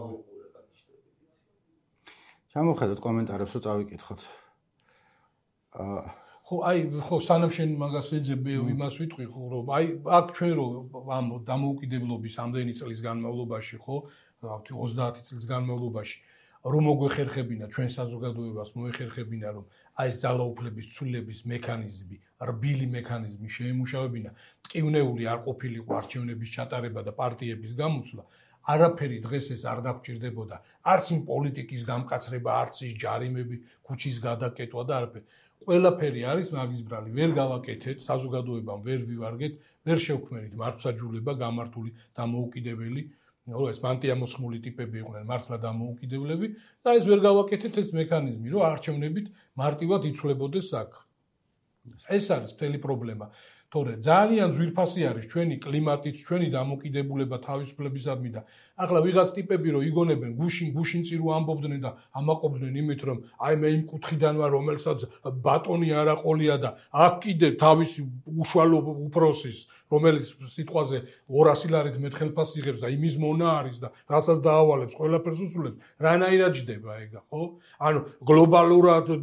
ჩამოხედოთ კომენტარებს რომ წავიკითხოთ. აა ხო, აი, ხო, სანამ შენ მაგას ეძებ, იმას ვიტყვი, ხო, რომ აი, აქ ჩვენ რო ამ დამოუკიდებლობის ამდენი წლის განმავლობაში, ხო, ოცდაათი წლის განმავლობაში რომ მოგვეხერხებინა ჩვენ საზოგადოებას მოეხერხებინა რომ აი ეს ძალაუფლების ცვლილების მექანიზმი, რბილი მექანიზმი შეემუშავებინა, ტკივნეული არ ყოფილიყო არჩევნების ჩატარება და პარტიების გამოცვლა, არაფერი დღეს ეს არ დაგჭირდებოდა, არც იმ პოლიტიკის გამკაცრება, არც ის ჯარიმები, ქუჩის გადაკეტვა და არაფერი. ყველაფერი არის მაგის ბრალი, ვერ გავაკეთეთ, საზოგადოებამ ვერ ვივარგეთ, ვერ შევქმნით მართლმსაჯულება გამართული დამოუკიდებელი ნუ ეს მანტიამოსხმული ტიპები იყვნენ მართლა დამოუკიდებლები და ეს ვერ გავაკეთეთ ეს მექანიზმი რომ არჩევნებით მარტივად იცვლებოდეს საქმე. ეს არის მთელი პრობლემა. თორე ძალიან ძვირფასი არის ჩვენი კლიმატიც, ჩვენი დამოუკიდებულება თავისუფლებისადმი და ახლა ვიღაც ტიპები რომ იგონებენ გუშინ გუშინ წირო ამბობდნენ და ამაყობდნენ იმით რომ აი მე იმ კუთხიდან ვარ რომელსაც ბატონი არაყოლია და აქ კიდე თავისი უშუალო უფროსის რომელიც სიტყვაზე ორასი ლარით მეტხელფას იღებს და იმის მონა არის და რასაც დაავალებს ყველაფერს უსულებს რანაირად ჯდება ეგა ხო ანუ გლობალურად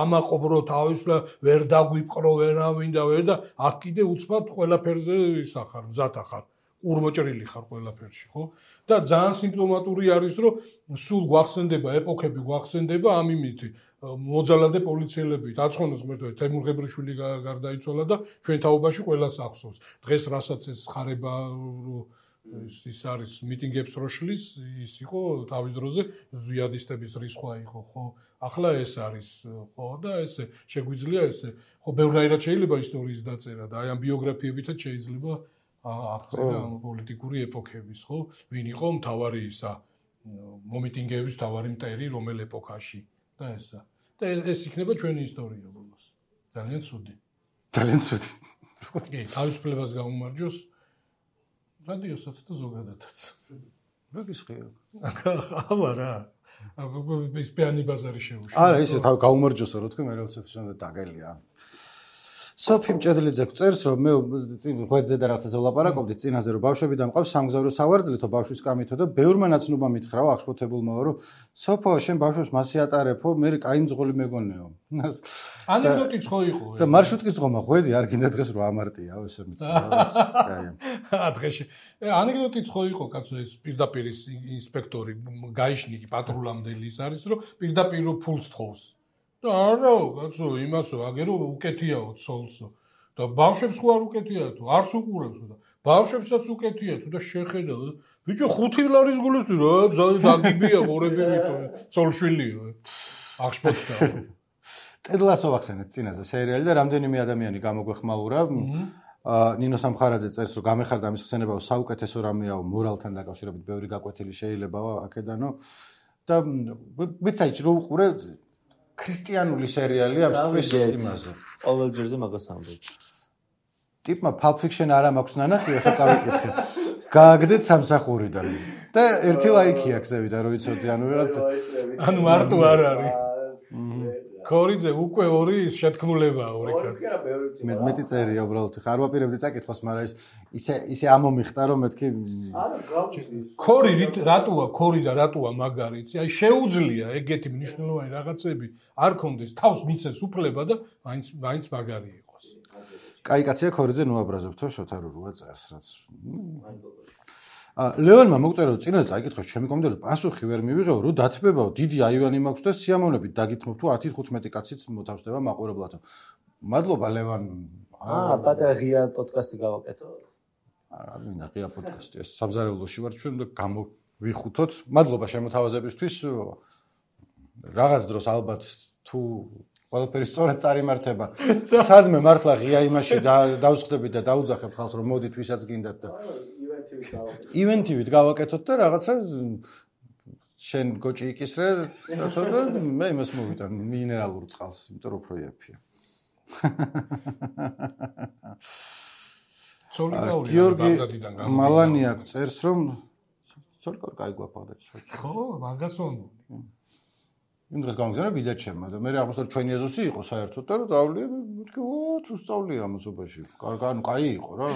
ამაყობ რო თავისუფლება ვერ დაგვიპყრო ვერავინ და ვერ და აქ კიდე უცბად ყველაფერზე ისახარ მზად ახარ ურმოჭრილი ხარ ყველაფერში ხო და ძალიან სიმპტომატური არის რომ სულ გვახსენდება ეპოქები გვახსენდება ამ იმითი მოძალადე პოლიციელები დაცხონოს ღმერთო თემურ ღებრიშვილი გარდაიცვალა და ჩვენ თაობაში ყველას ახსოვს დღეს რასაც ეს ხარება ის არის მიტინგებს რო შლის ის იყო თავის დროზე ზიადისტების რისხვა იყო ხო ახლა ეს არის ხო და ესე შეგვიძლია ესე ხო ბევრნაირად შეიძლება ისტორიის დაწერა და აი ამ ბიოგრაფიებითაც შეიძლება აღწერა ამ პოლიტიკური ეპოქების ხო ვინ იყო მთავარი ისა მომიტინგეების მთავარი მტერი რომელ ეპოქაში და ესა და ეს იქნება ჩვენი ისტორია ბოლოს ძალიან ცუდი ძალიან ცუდი კი თავისუფლებას გაუმარჯოს რადიოსაც და ზოგადადაც რა გისხია აბა რა ის პიანი ბაზარი შეუშვა არა ისე თავ გაუმარჯოსო რო თქვი მე რა უცებ შენ დაგელია სოფი მჭედლიძე წერს რომ მე ღვეძზე და რაღაცაზე ვლაპარაკობდი წინაზე რომ ბავშვები დამყავს სამგზავრო სავარძლითო ბავშვის კამითო და ბევრმა ნაცნობა მითხრაო აღშფოთებულმა რომ სოფო შენ ბავშვს მასე ატარებო მე კაი მძღოლი მეგონეო ანეკდოტიც ხო იყო და მარშრუტკის ძღომა ღვედი არ გინდა დღეს რო ამარტიაო ესე მითხრა დღეში ანეკდოტიც ხო იყო კაცო ეს პირდაპირ ინსპექტორი გაიშნიკი პატრულამდელი ის არის რომ პირდაპირ ფულს თხოვს არა, კაცო, იმასო, აგერო უკეთიაო ცოლსო. და ბავშვებს ხო არ უკეთია თუ, არც უყურებს და ბავშვებსაც უკეთია თუ და შეხედა. ბიჭო, ხუთი ლარის გულისთვის რა, ზაგიბია ყურები ვითო, ცოლშვილიო. აღშფოთდა. ტედლასო ვახსენეთ წინაზე სერიალი და რამდენიმე ადამიანი გამოგვეხმაურა. ნინო სამხარაძე წერს რომ გამეხარდა მის ხსენებაო საუკეთესო რამეაო მორალთან დაკავშირებით ბევრი გაკვეთილი შეიძლებაო აქედანო და ვიცაი რომ უყურე ქრისტიანული სერიალი ამ სტრის იმაზე. ყოველ ჯერზე მაგას ამბობ. ტიპმა Pulp Fiction არა მაქვს ნანახი, ახლა წავიკითხე. გააგდეთ სამსახურიდან. და ერთი ლაიქი აქვს ზევიდან, რომ იცოდი, ანუ ვიღაც ანუ მარტო არ არის. კორიძე უკვე ორი შეთქმულებაა ორი კაცი. მე მეტი წერია უბრალოდ ხარ ვაპირებდი წაკითხოს, მაგრამ ის ისე ისე ამომიხტა რომ მეთქი არა გავჭირდი. კორი რატოა კორი და რატოა მაგარი იცი? აი შეუძლია ეგეთი მნიშვნელოვანი რაღაცები არ კონდეს თავს მიცეს უფლება და მაინც მაინც მაგარი იყოს. კაი კაცია კორიძე ნუ აბრაზებთო შოთარურუა წერს რაც. ლეონმა მოგწერა რომ წინაზე წაიკითხოს ჩემი კომენტარი პასუხი ვერ მივიღეო რომ დათბებაო დიდი აივანი მაქვს და სიამოვნებით დაგითმობ თუ ათი ხუთმეტი კაციც მოთავსდება მაყურებლათო. მადლობა ლევან. აა პატარა ღია პოდკასტი გავაკეთო. არა მინდა ღია პოდკასტი ეს სამზარეულოში ვარ ჩვენ და გამოვიხუთოთ. მადლობა შემოთავაზებისთვის. რაღაც დროს ალბათ თუ ყველაფერი სწორად წარიმართება. სადმე მართლა ღია იმაში დავსხდებით და დაუძახებ ხალხს რომ მოდით ვისაც გინდათ და ივენთივით გავაკეთოთ და რაღაცა შენ გოჭი იკისრე და მე იმას მოვიტან მინერალურ წყალს, იმიტომ რომ უფრო იაფია. ცოლიკაური გიორგი მალანიაკ წერს რომ ცოლიკაური კაი გვაქვს ბაღდადში. ხო, მაგას ვამბობ. იმ დღეს გამიგზავნა ბიძა ჩემმა და მე აღმოსავლეთ ჩვენი ეზოსი იყო საერთოდ და დავლიე მეთქი ო თუ სწავლია ამასობაში. კარგი, ანუ კაი იყო რა.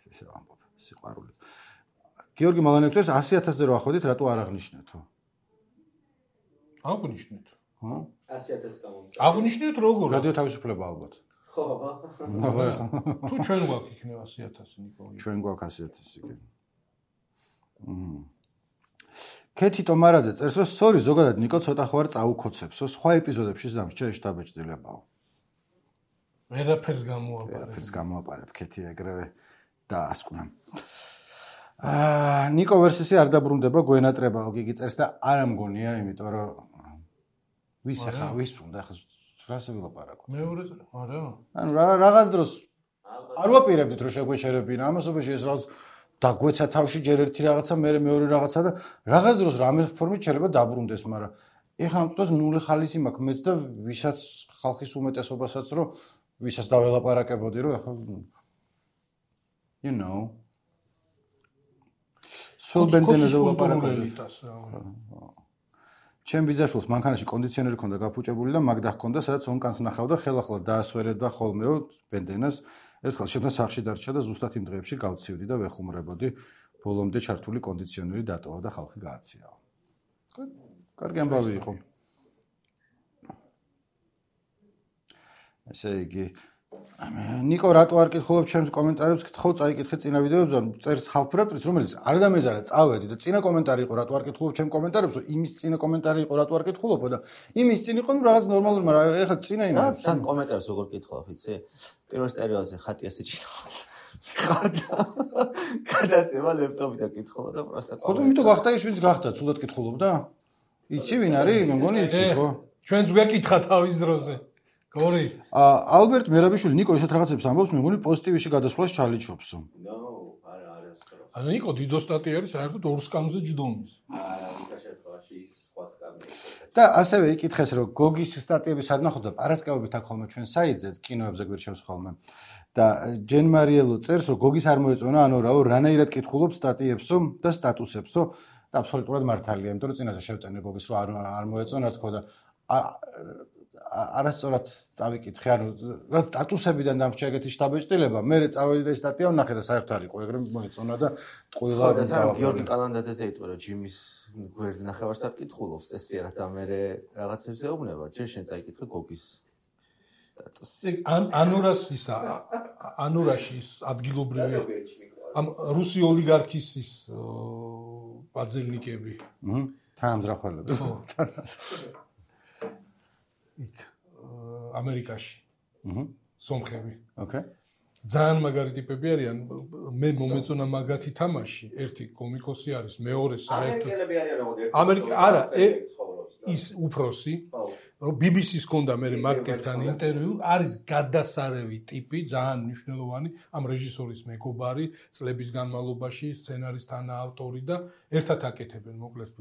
ესე ვამბობ, სიყვარული. გიორგი მალანიაკ წერს ასი ათასზე რო ახვედით, რატო არ აღნიშნეთო? აღნიშნეთ. ხო? ასი ათასი გამომწა. აღნიშნეთ როგორ? რადიო თავისუფლება ალბათ. ხო, აბა. თუ ჩვენ გვაქვს იქნება ასი ათასი ნიკოლი. ჩვენ გვაქვს ასი ათასი კი. მმ. კეთი ტომარაძე წერს რომ სორი ზოგადად ნიკო ცოტა ხوار წაუქოცებსო, სხვა ეპიზოდებში დამჭერში დაბეჭდილებაო. ვერაფერს გამოაპარებ. ვერაფერს გამოაპარებ კეთი ეგრევე დაასკვნა. აა ნიკო ვერსისი არ დაბრუნდება გვენატრებაო გიგი წერს და არ ამგონია, იმიტომ რომ ვის ახლა ვის უნდა ახლა რას ვილაპარაკო. მეორე არა. ანუ რაღაც დროს არ ვაპირებდით რომ შეგვეჩერებინა ამასობაში ეს რაღაც დაგვეცა თავში ჯერ ერთი რაღაცა, მერე მეორე რაღაცა და რაღაც დროს რამე ფორმით შეიძლება დაბრუნდეს, მაგრამ ეხლა ამ წუთას ნული ხალისი მაქვს მეც და ვისაც ხალხის უმეტესობასაც რომ ვისაც დაველაპარაკებოდი რომ ეხლა you know სულ ბენდენაზე ვლაპარაკობდი. ჩემ ბიძაშვილს მანქანაში კონდიციონერი ჰქონდა გაფუჭებული და მაგდა ჰქონდა, სადაც ონკანს ნახავდა, ხელახლა დაასვერებდა ხოლმეო ბენდენას. ერთხელ შეფნა სახში დარჩა და ზუსტად იმ დღეებში გავცივდი და ვეხუმრებოდი, ბოლომდე ჩართული კონდიციონერი დატოვა და ხალხი გააციაო. კარგი ამბავი იყო. ესე იგი ნიკო რატო არ კითხულობ ჩემს კომენტარებს, კითხო წაიკითხე წინა ვიდეოებზე, წერს ჰალფრაპრიც, რომელიც არ დამეზარა წავედი და წინა კომენტარი იყო რატო არ კითხულობ ჩემს კომენტარებს, იმის წინა კომენტარი იყო რატო არ კითხულობო და იმის წინ იყო რაღაც ნორმალური, მაგრამ ეხლა წინა ინა. რა თან კომენტარებს როგორ კითხულობ, იცი? პირველ სტერეოზე ხატი ასე ჭირავს. ხატა. გადაცემა ლეპტოპიდან კითხულობ და პროსტა. ხო თუ მითო გახდა ის ვინც გახდა, ცუდად კითხულობდა? იცი ვინ არის? მე მგონი იცი ხო? ჩვენც გვეკითხა თავის დროზე. გორი. ალბერტ მერაბიშვილი ნიკო ესეთ რაღაცებს ამბობს, მე მგონი პოზიტივში გადასვლას ჩალიჩობსო. ნო, არა, არა სწორად. ანუ ნიკო დიდო სტატია არის საერთოდ ორ სკამზე ჯდომის. არა, იმ შემთხვევაში ის სხვა სკამი. და ასევე იკითხეს რომ გოგის სტატიები სად ნახოთ და პარასკევობით აქ ხოლმე ჩვენ საიტზე კინოებზე გვირჩევს ხოლმე. და ჯენ მარიელო წერს რომ გოგის არ მოეწონა ანორაო რანაირად კითხულობს სტატიებსო და სტატუსებსო და აბსოლუტურად მართალია, იმიტომ რომ წინაზე შევტენე გოგის რომ არ არ მოეწონა თქო და არასწორად წავიკითხე, ანუ რა სტატუსებიდან დამრჩა ეგეთი შტაბეჭდილება, მე წავედი და სტატია ვნახე და საერთოდ არ იყო, ეგრე მოეწონა და ყველა და სამ გიორგი კალანდაძეზე იტყვა რომ ჯიმის გვერდი ნახევარს არ კითხულობს წესიერად და მე რაღაცებს ეუბნება, ჯერ შენ წაიკითხე გოგის სტატუსი. ანურას ისა ანურაში ის ადგილობრივი ამ რუსი ოლიგარქის ის ბაძილნიკები. ჰმ, თანამძრახველები. იქ ამერიკაში. აჰა. სომხები. ოკეი. ძალიან მაგარი ტიპები არიან. მე მომეწონა მაგათი თამაში. ერთი კომიკოსი არის, მეორე საერთოდ ამერიკელები არიან როგორ ერთი. ამერიკა არა, ის უფროსი. ბი ბი სის ჰქონდა მე მაგტებთან ინტერვიუ, არის გადასარევი ტიპი, ძალიან მნიშვნელოვანი, ამ რეჟისორის მეგობარი, წლების განმავლობაში სცენარის თანაავტორი და ერთად აკეთებენ მოკლედ.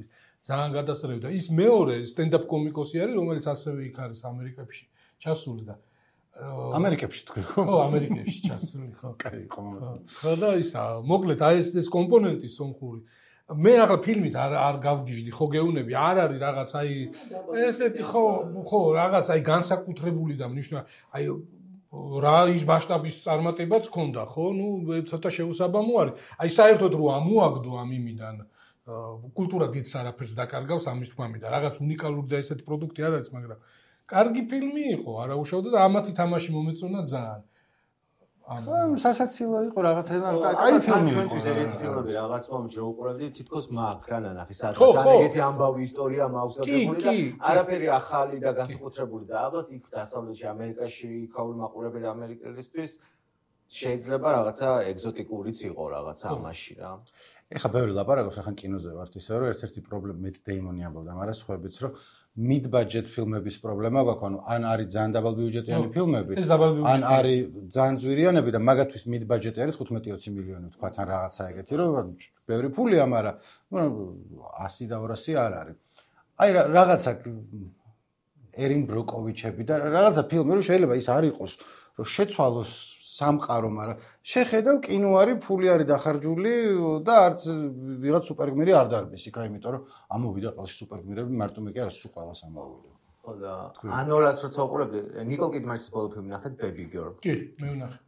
ძალიან გადასარევი და ის მეორე სტენდაპ კომიკოსი არის, რომელიც ასევე იქ არის ამერიკებში ჩასული და ამერიკებში თქვი ხო? ხო, ამერიკებში ჩასული ხო. კაი, ხო. ხო და ისა, მოკლედ აი ეს ეს კომპონენტი სომხური. მე ახლა ფილმით არ არ გავგიჟდი, ხო გეუნები, არ არის რაღაც აი ესეთი ხო, ხო, რაღაც აი განსაკუთრებული და მნიშვნელოვანი აი რა ის მასშტაბის წარმატებაც ჰქონდა, ხო? ნუ ცოტა შეუსაბამო არის. აი საერთოდ რო ამოაგდო ამ იმიდან კულტურა დიდს არაფერს დაკარგავს ამის თქმამიდან. რაღაც უნიკალური და ესეთი პროდუქტი არ არის, მაგრამ კარგი ფილმი იყო, არა უშავდა და ამათი თამაში მომეწონა ძალიან. ანუ სასაცილო იყო რაღაცა, კაი ფილმი იყო. ჩვენთვის ეგეთი ფილმები რაღაც მომენტში რო უყურებდი, თითქოს მაქვს რა ნახი, სადაც ძალიან ეგეთი ამბავი ისტორია მაუსგებელი და არაფერი ახალი და განსაკუთრებული და ალბათ იქ დასავლეთში ამერიკაში იქაური მაყურებელი ამერიკელისთვის შეიძლება რაღაცა ეგზოტიკურიც იყო რაღაცა ამაში რა. ეხა ბევრი ლაპარაკობს, ახლა კინოზე ვართ ისე რომ ერთ-ერთი პრობლემა მეც დეიმონი ამბობდა, მაგრამ სხვაებიც რომ mid budget ფილმების პრობლემა გვაქვს, ანუ ან არის ძალიან დაბალბიუჯეტიანი ფილმები, ან არის ძალიან ძვირიანები და მაგათთვის mid budget არის ხუთმეტი ოცი მილიონი თქვა თან რაღაცა ეგეთი, რომ ბევრი ფულია, მაგრამ ასი და ორასი არ არის. აი რაღაცა ერინ ბროკოვიჩები და რაღაცა ფილმი რომ შეიძლება ის არ იყოს რომ შეცვალოს სამყარო, მაგრამ შეხედავ კინო არის, ფული არის დახარჯული და არც ვიღაც სუპერგმირი არ დარბის იქა, იმიტომ რომ ამოვიდა ყელში სუპერგმირები მარტო მე კი არა, სულ ყველას ამოვიდა. ხო და ანორას როცა უყურებდი, ნიკოლ კიდმანის ბოლო ფილმი ნახეთ Baby Girl. კი, მე ვნახე.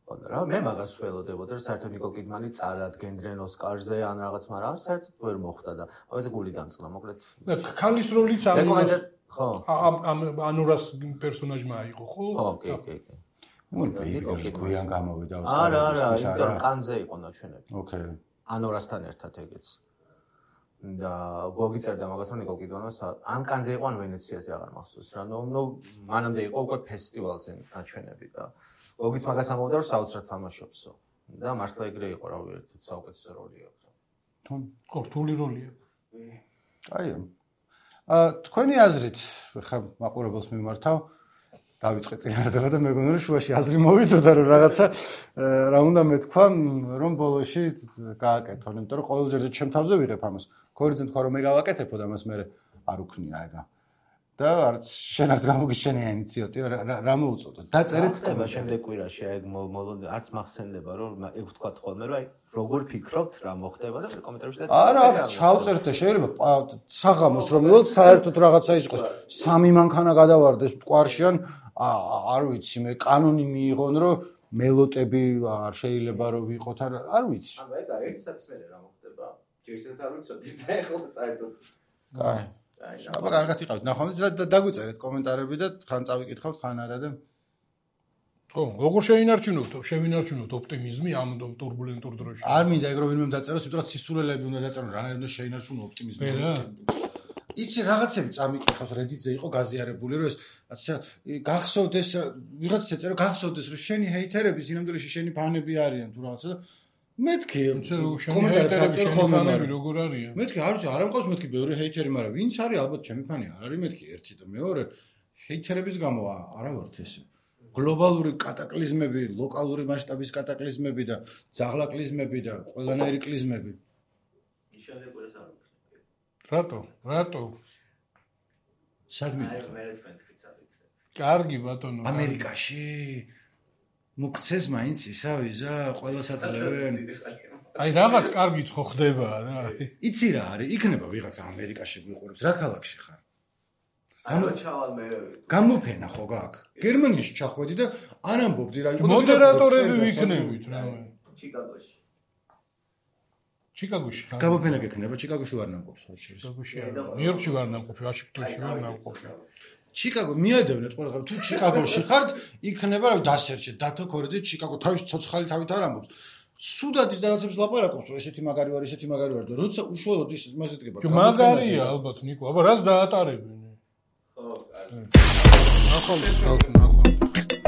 ხო და რა, მე მაგას ველოდებოდი, რომ საერთოდ ნიკოლ კიდმანი წარადგენდნენ ოსკარზე ან რაღაც, მაგრამ საერთოდ ვერ მოხვდა და ამაზე გული დამწყნა, მოკლედ. და ქალის როლიც ამას ხო. ამ ანორას პერსონაჟმა აიღო, ხო? ხო, კი, კი, კი. ნუ Baby Girl გვიან გამოვიდა ოსკარზე. არა, არა, იმიტომ რომ კანზე იყო ნაჩვენები. ოკეი. ანორასთან ერთად ეგეც. და გოგიწერდა მაგას რომ ნიკოლ კიდმანს ან კანზე იყო ან ვენეციაზე აღარ მახსოვს რა. ნუ ნუ მანამდე იყო უკვე ფესტივალზე ნაჩვენები და გოგიც მაგას ამოვიდა რომ საოცრად თამაშობსო. და მართლა ეგრე იყო რა, ერთად საუკეთესო როლი აქვს. თუ ხო, რთული როლია. აიო. აა თქვენი აზრით ხა მაყურებელს მიმართავ დავიწყე წინასწარ და მეგონა რომ შუაში აზრი მოვიწოდა რომ რაღაცა რა უნდა მეთქვა რომ ბოლოში გააკეთონ, იმიტომ რომ ყოველ ჯერზე ჩემ თავზე ვიღებ ამას. ქორიძე თქვა რომ მე გავაკეთებო და მას მე არ უქნია ეგა. და არც შენ არც გამოგიჩენია ინიციატივა რა მოუწოდო. დაწერეთ ხდება შემდეგ კვირაში აი მოლოდი არც მახსენდება რომ ეგ ვთქვა ხოლმე რომ აი როგორ ფიქრობთ რა მოხდება და კომენტარებში და არა, ჩავწერთ და შეიძლება საღამოს რომ მივიღოთ საერთოდ რაღაცა ის იყოს. სამი მანქანა გადავარდეს მტკვარში ან არ ვიცი მე კანონი მიიღონ რომ მელოტები არ შეიძლება რომ ვიყოთ არ ვიცი. ანუ ეგ არის ერთსაც მე რა მოხდება. ჯერსაც არ ვიცოდი და ეხლა საერთოდ. აი. აბა კარგად იყავთ. ნახავთ და დაგვიწერეთ კომენტარები და ხან წავიკითხავთ ხან არა და ხო, როგორ შეინარჩუნოთ, შევინარჩუნოთ ოპტიმიზმი ამ ტურბულენტურ დროში. არ მინდა ეგ რომ ვინმე დაწეროს, უბრალოდ სისულელები უნდა დაწერონ, რანაირად უნდა შეინარჩუნო ოპტიმიზმი. იცი რაღაცები წამიკითხავს Reddit-ზე იყო გაზიარებული რომ ეს ასე გახსოვდეს ვიღაც ეწერა გახსოვდეს რომ შენი ჰეითერები სინამდვილეში შენი ფანები არიან თუ რაღაცა და მეთქი კომენტარებში შენი ფანები როგორ არიან მეთქი არ ვიცი არ ამყავს მეთქი ბევრი ჰეითერი მაგრამ ვინც არის ალბათ ჩემი ფანი არ არის მეთქი ერთი და მეორე ჰეითერების გამო არა ვართ ესე გლობალური კატაკლიზმები ლოკალური მასშტაბის კატაკლიზმები და ძაღლაკლიზმები და ყველანაირი კლიზმები ნიშანზე ყურეს არ რატო? რატო? სადმე? კარგი ბატონო. ამერიკაში მოგცეს მაინც ისა ვიზა ყველას აძლევენ. აი რაღაც კარგიც ხო ხდება რა. იცი რა არის? იქნება ვიღაცა ამერიკაში გვიყურებს. რა ქალაქში ხარ? გამოჩავალ მე. გამოფენა ხო გაქვს? გერმანიაში ჩახვედი და არ ამბობდი რა იყო და მოდერატორები ვიქნებით რა. ჩიკაგოში. ჩიკაგოში. გამოფენა გექნება, ჩიკაგოში ვარ ნამყოფი სხვა შეიძლება. ჩიკაგოში არ. ნიუ-იორკში ვარ ნამყოფი, ვაშინგტონში ვარ ნამყოფი. ჩიკაგო მიადევნეთ ყველა თუ ჩიკაგოში ხართ, იქნება რა დასერჩეთ დათო ქორიძე ჩიკაგო თავის ცოცხალი თავით არ ამბობს. სუდადის და რაღაცებს ლაპარაკობს, ესეთი მაგარი ვარ, ესეთი მაგარი ვარ და როცა უშუალოდ ის იმას ეთქება. მაგარია ალბათ ნიკო, აბა რას დაატარებენ? ხო, კარგი. ახლა ახლა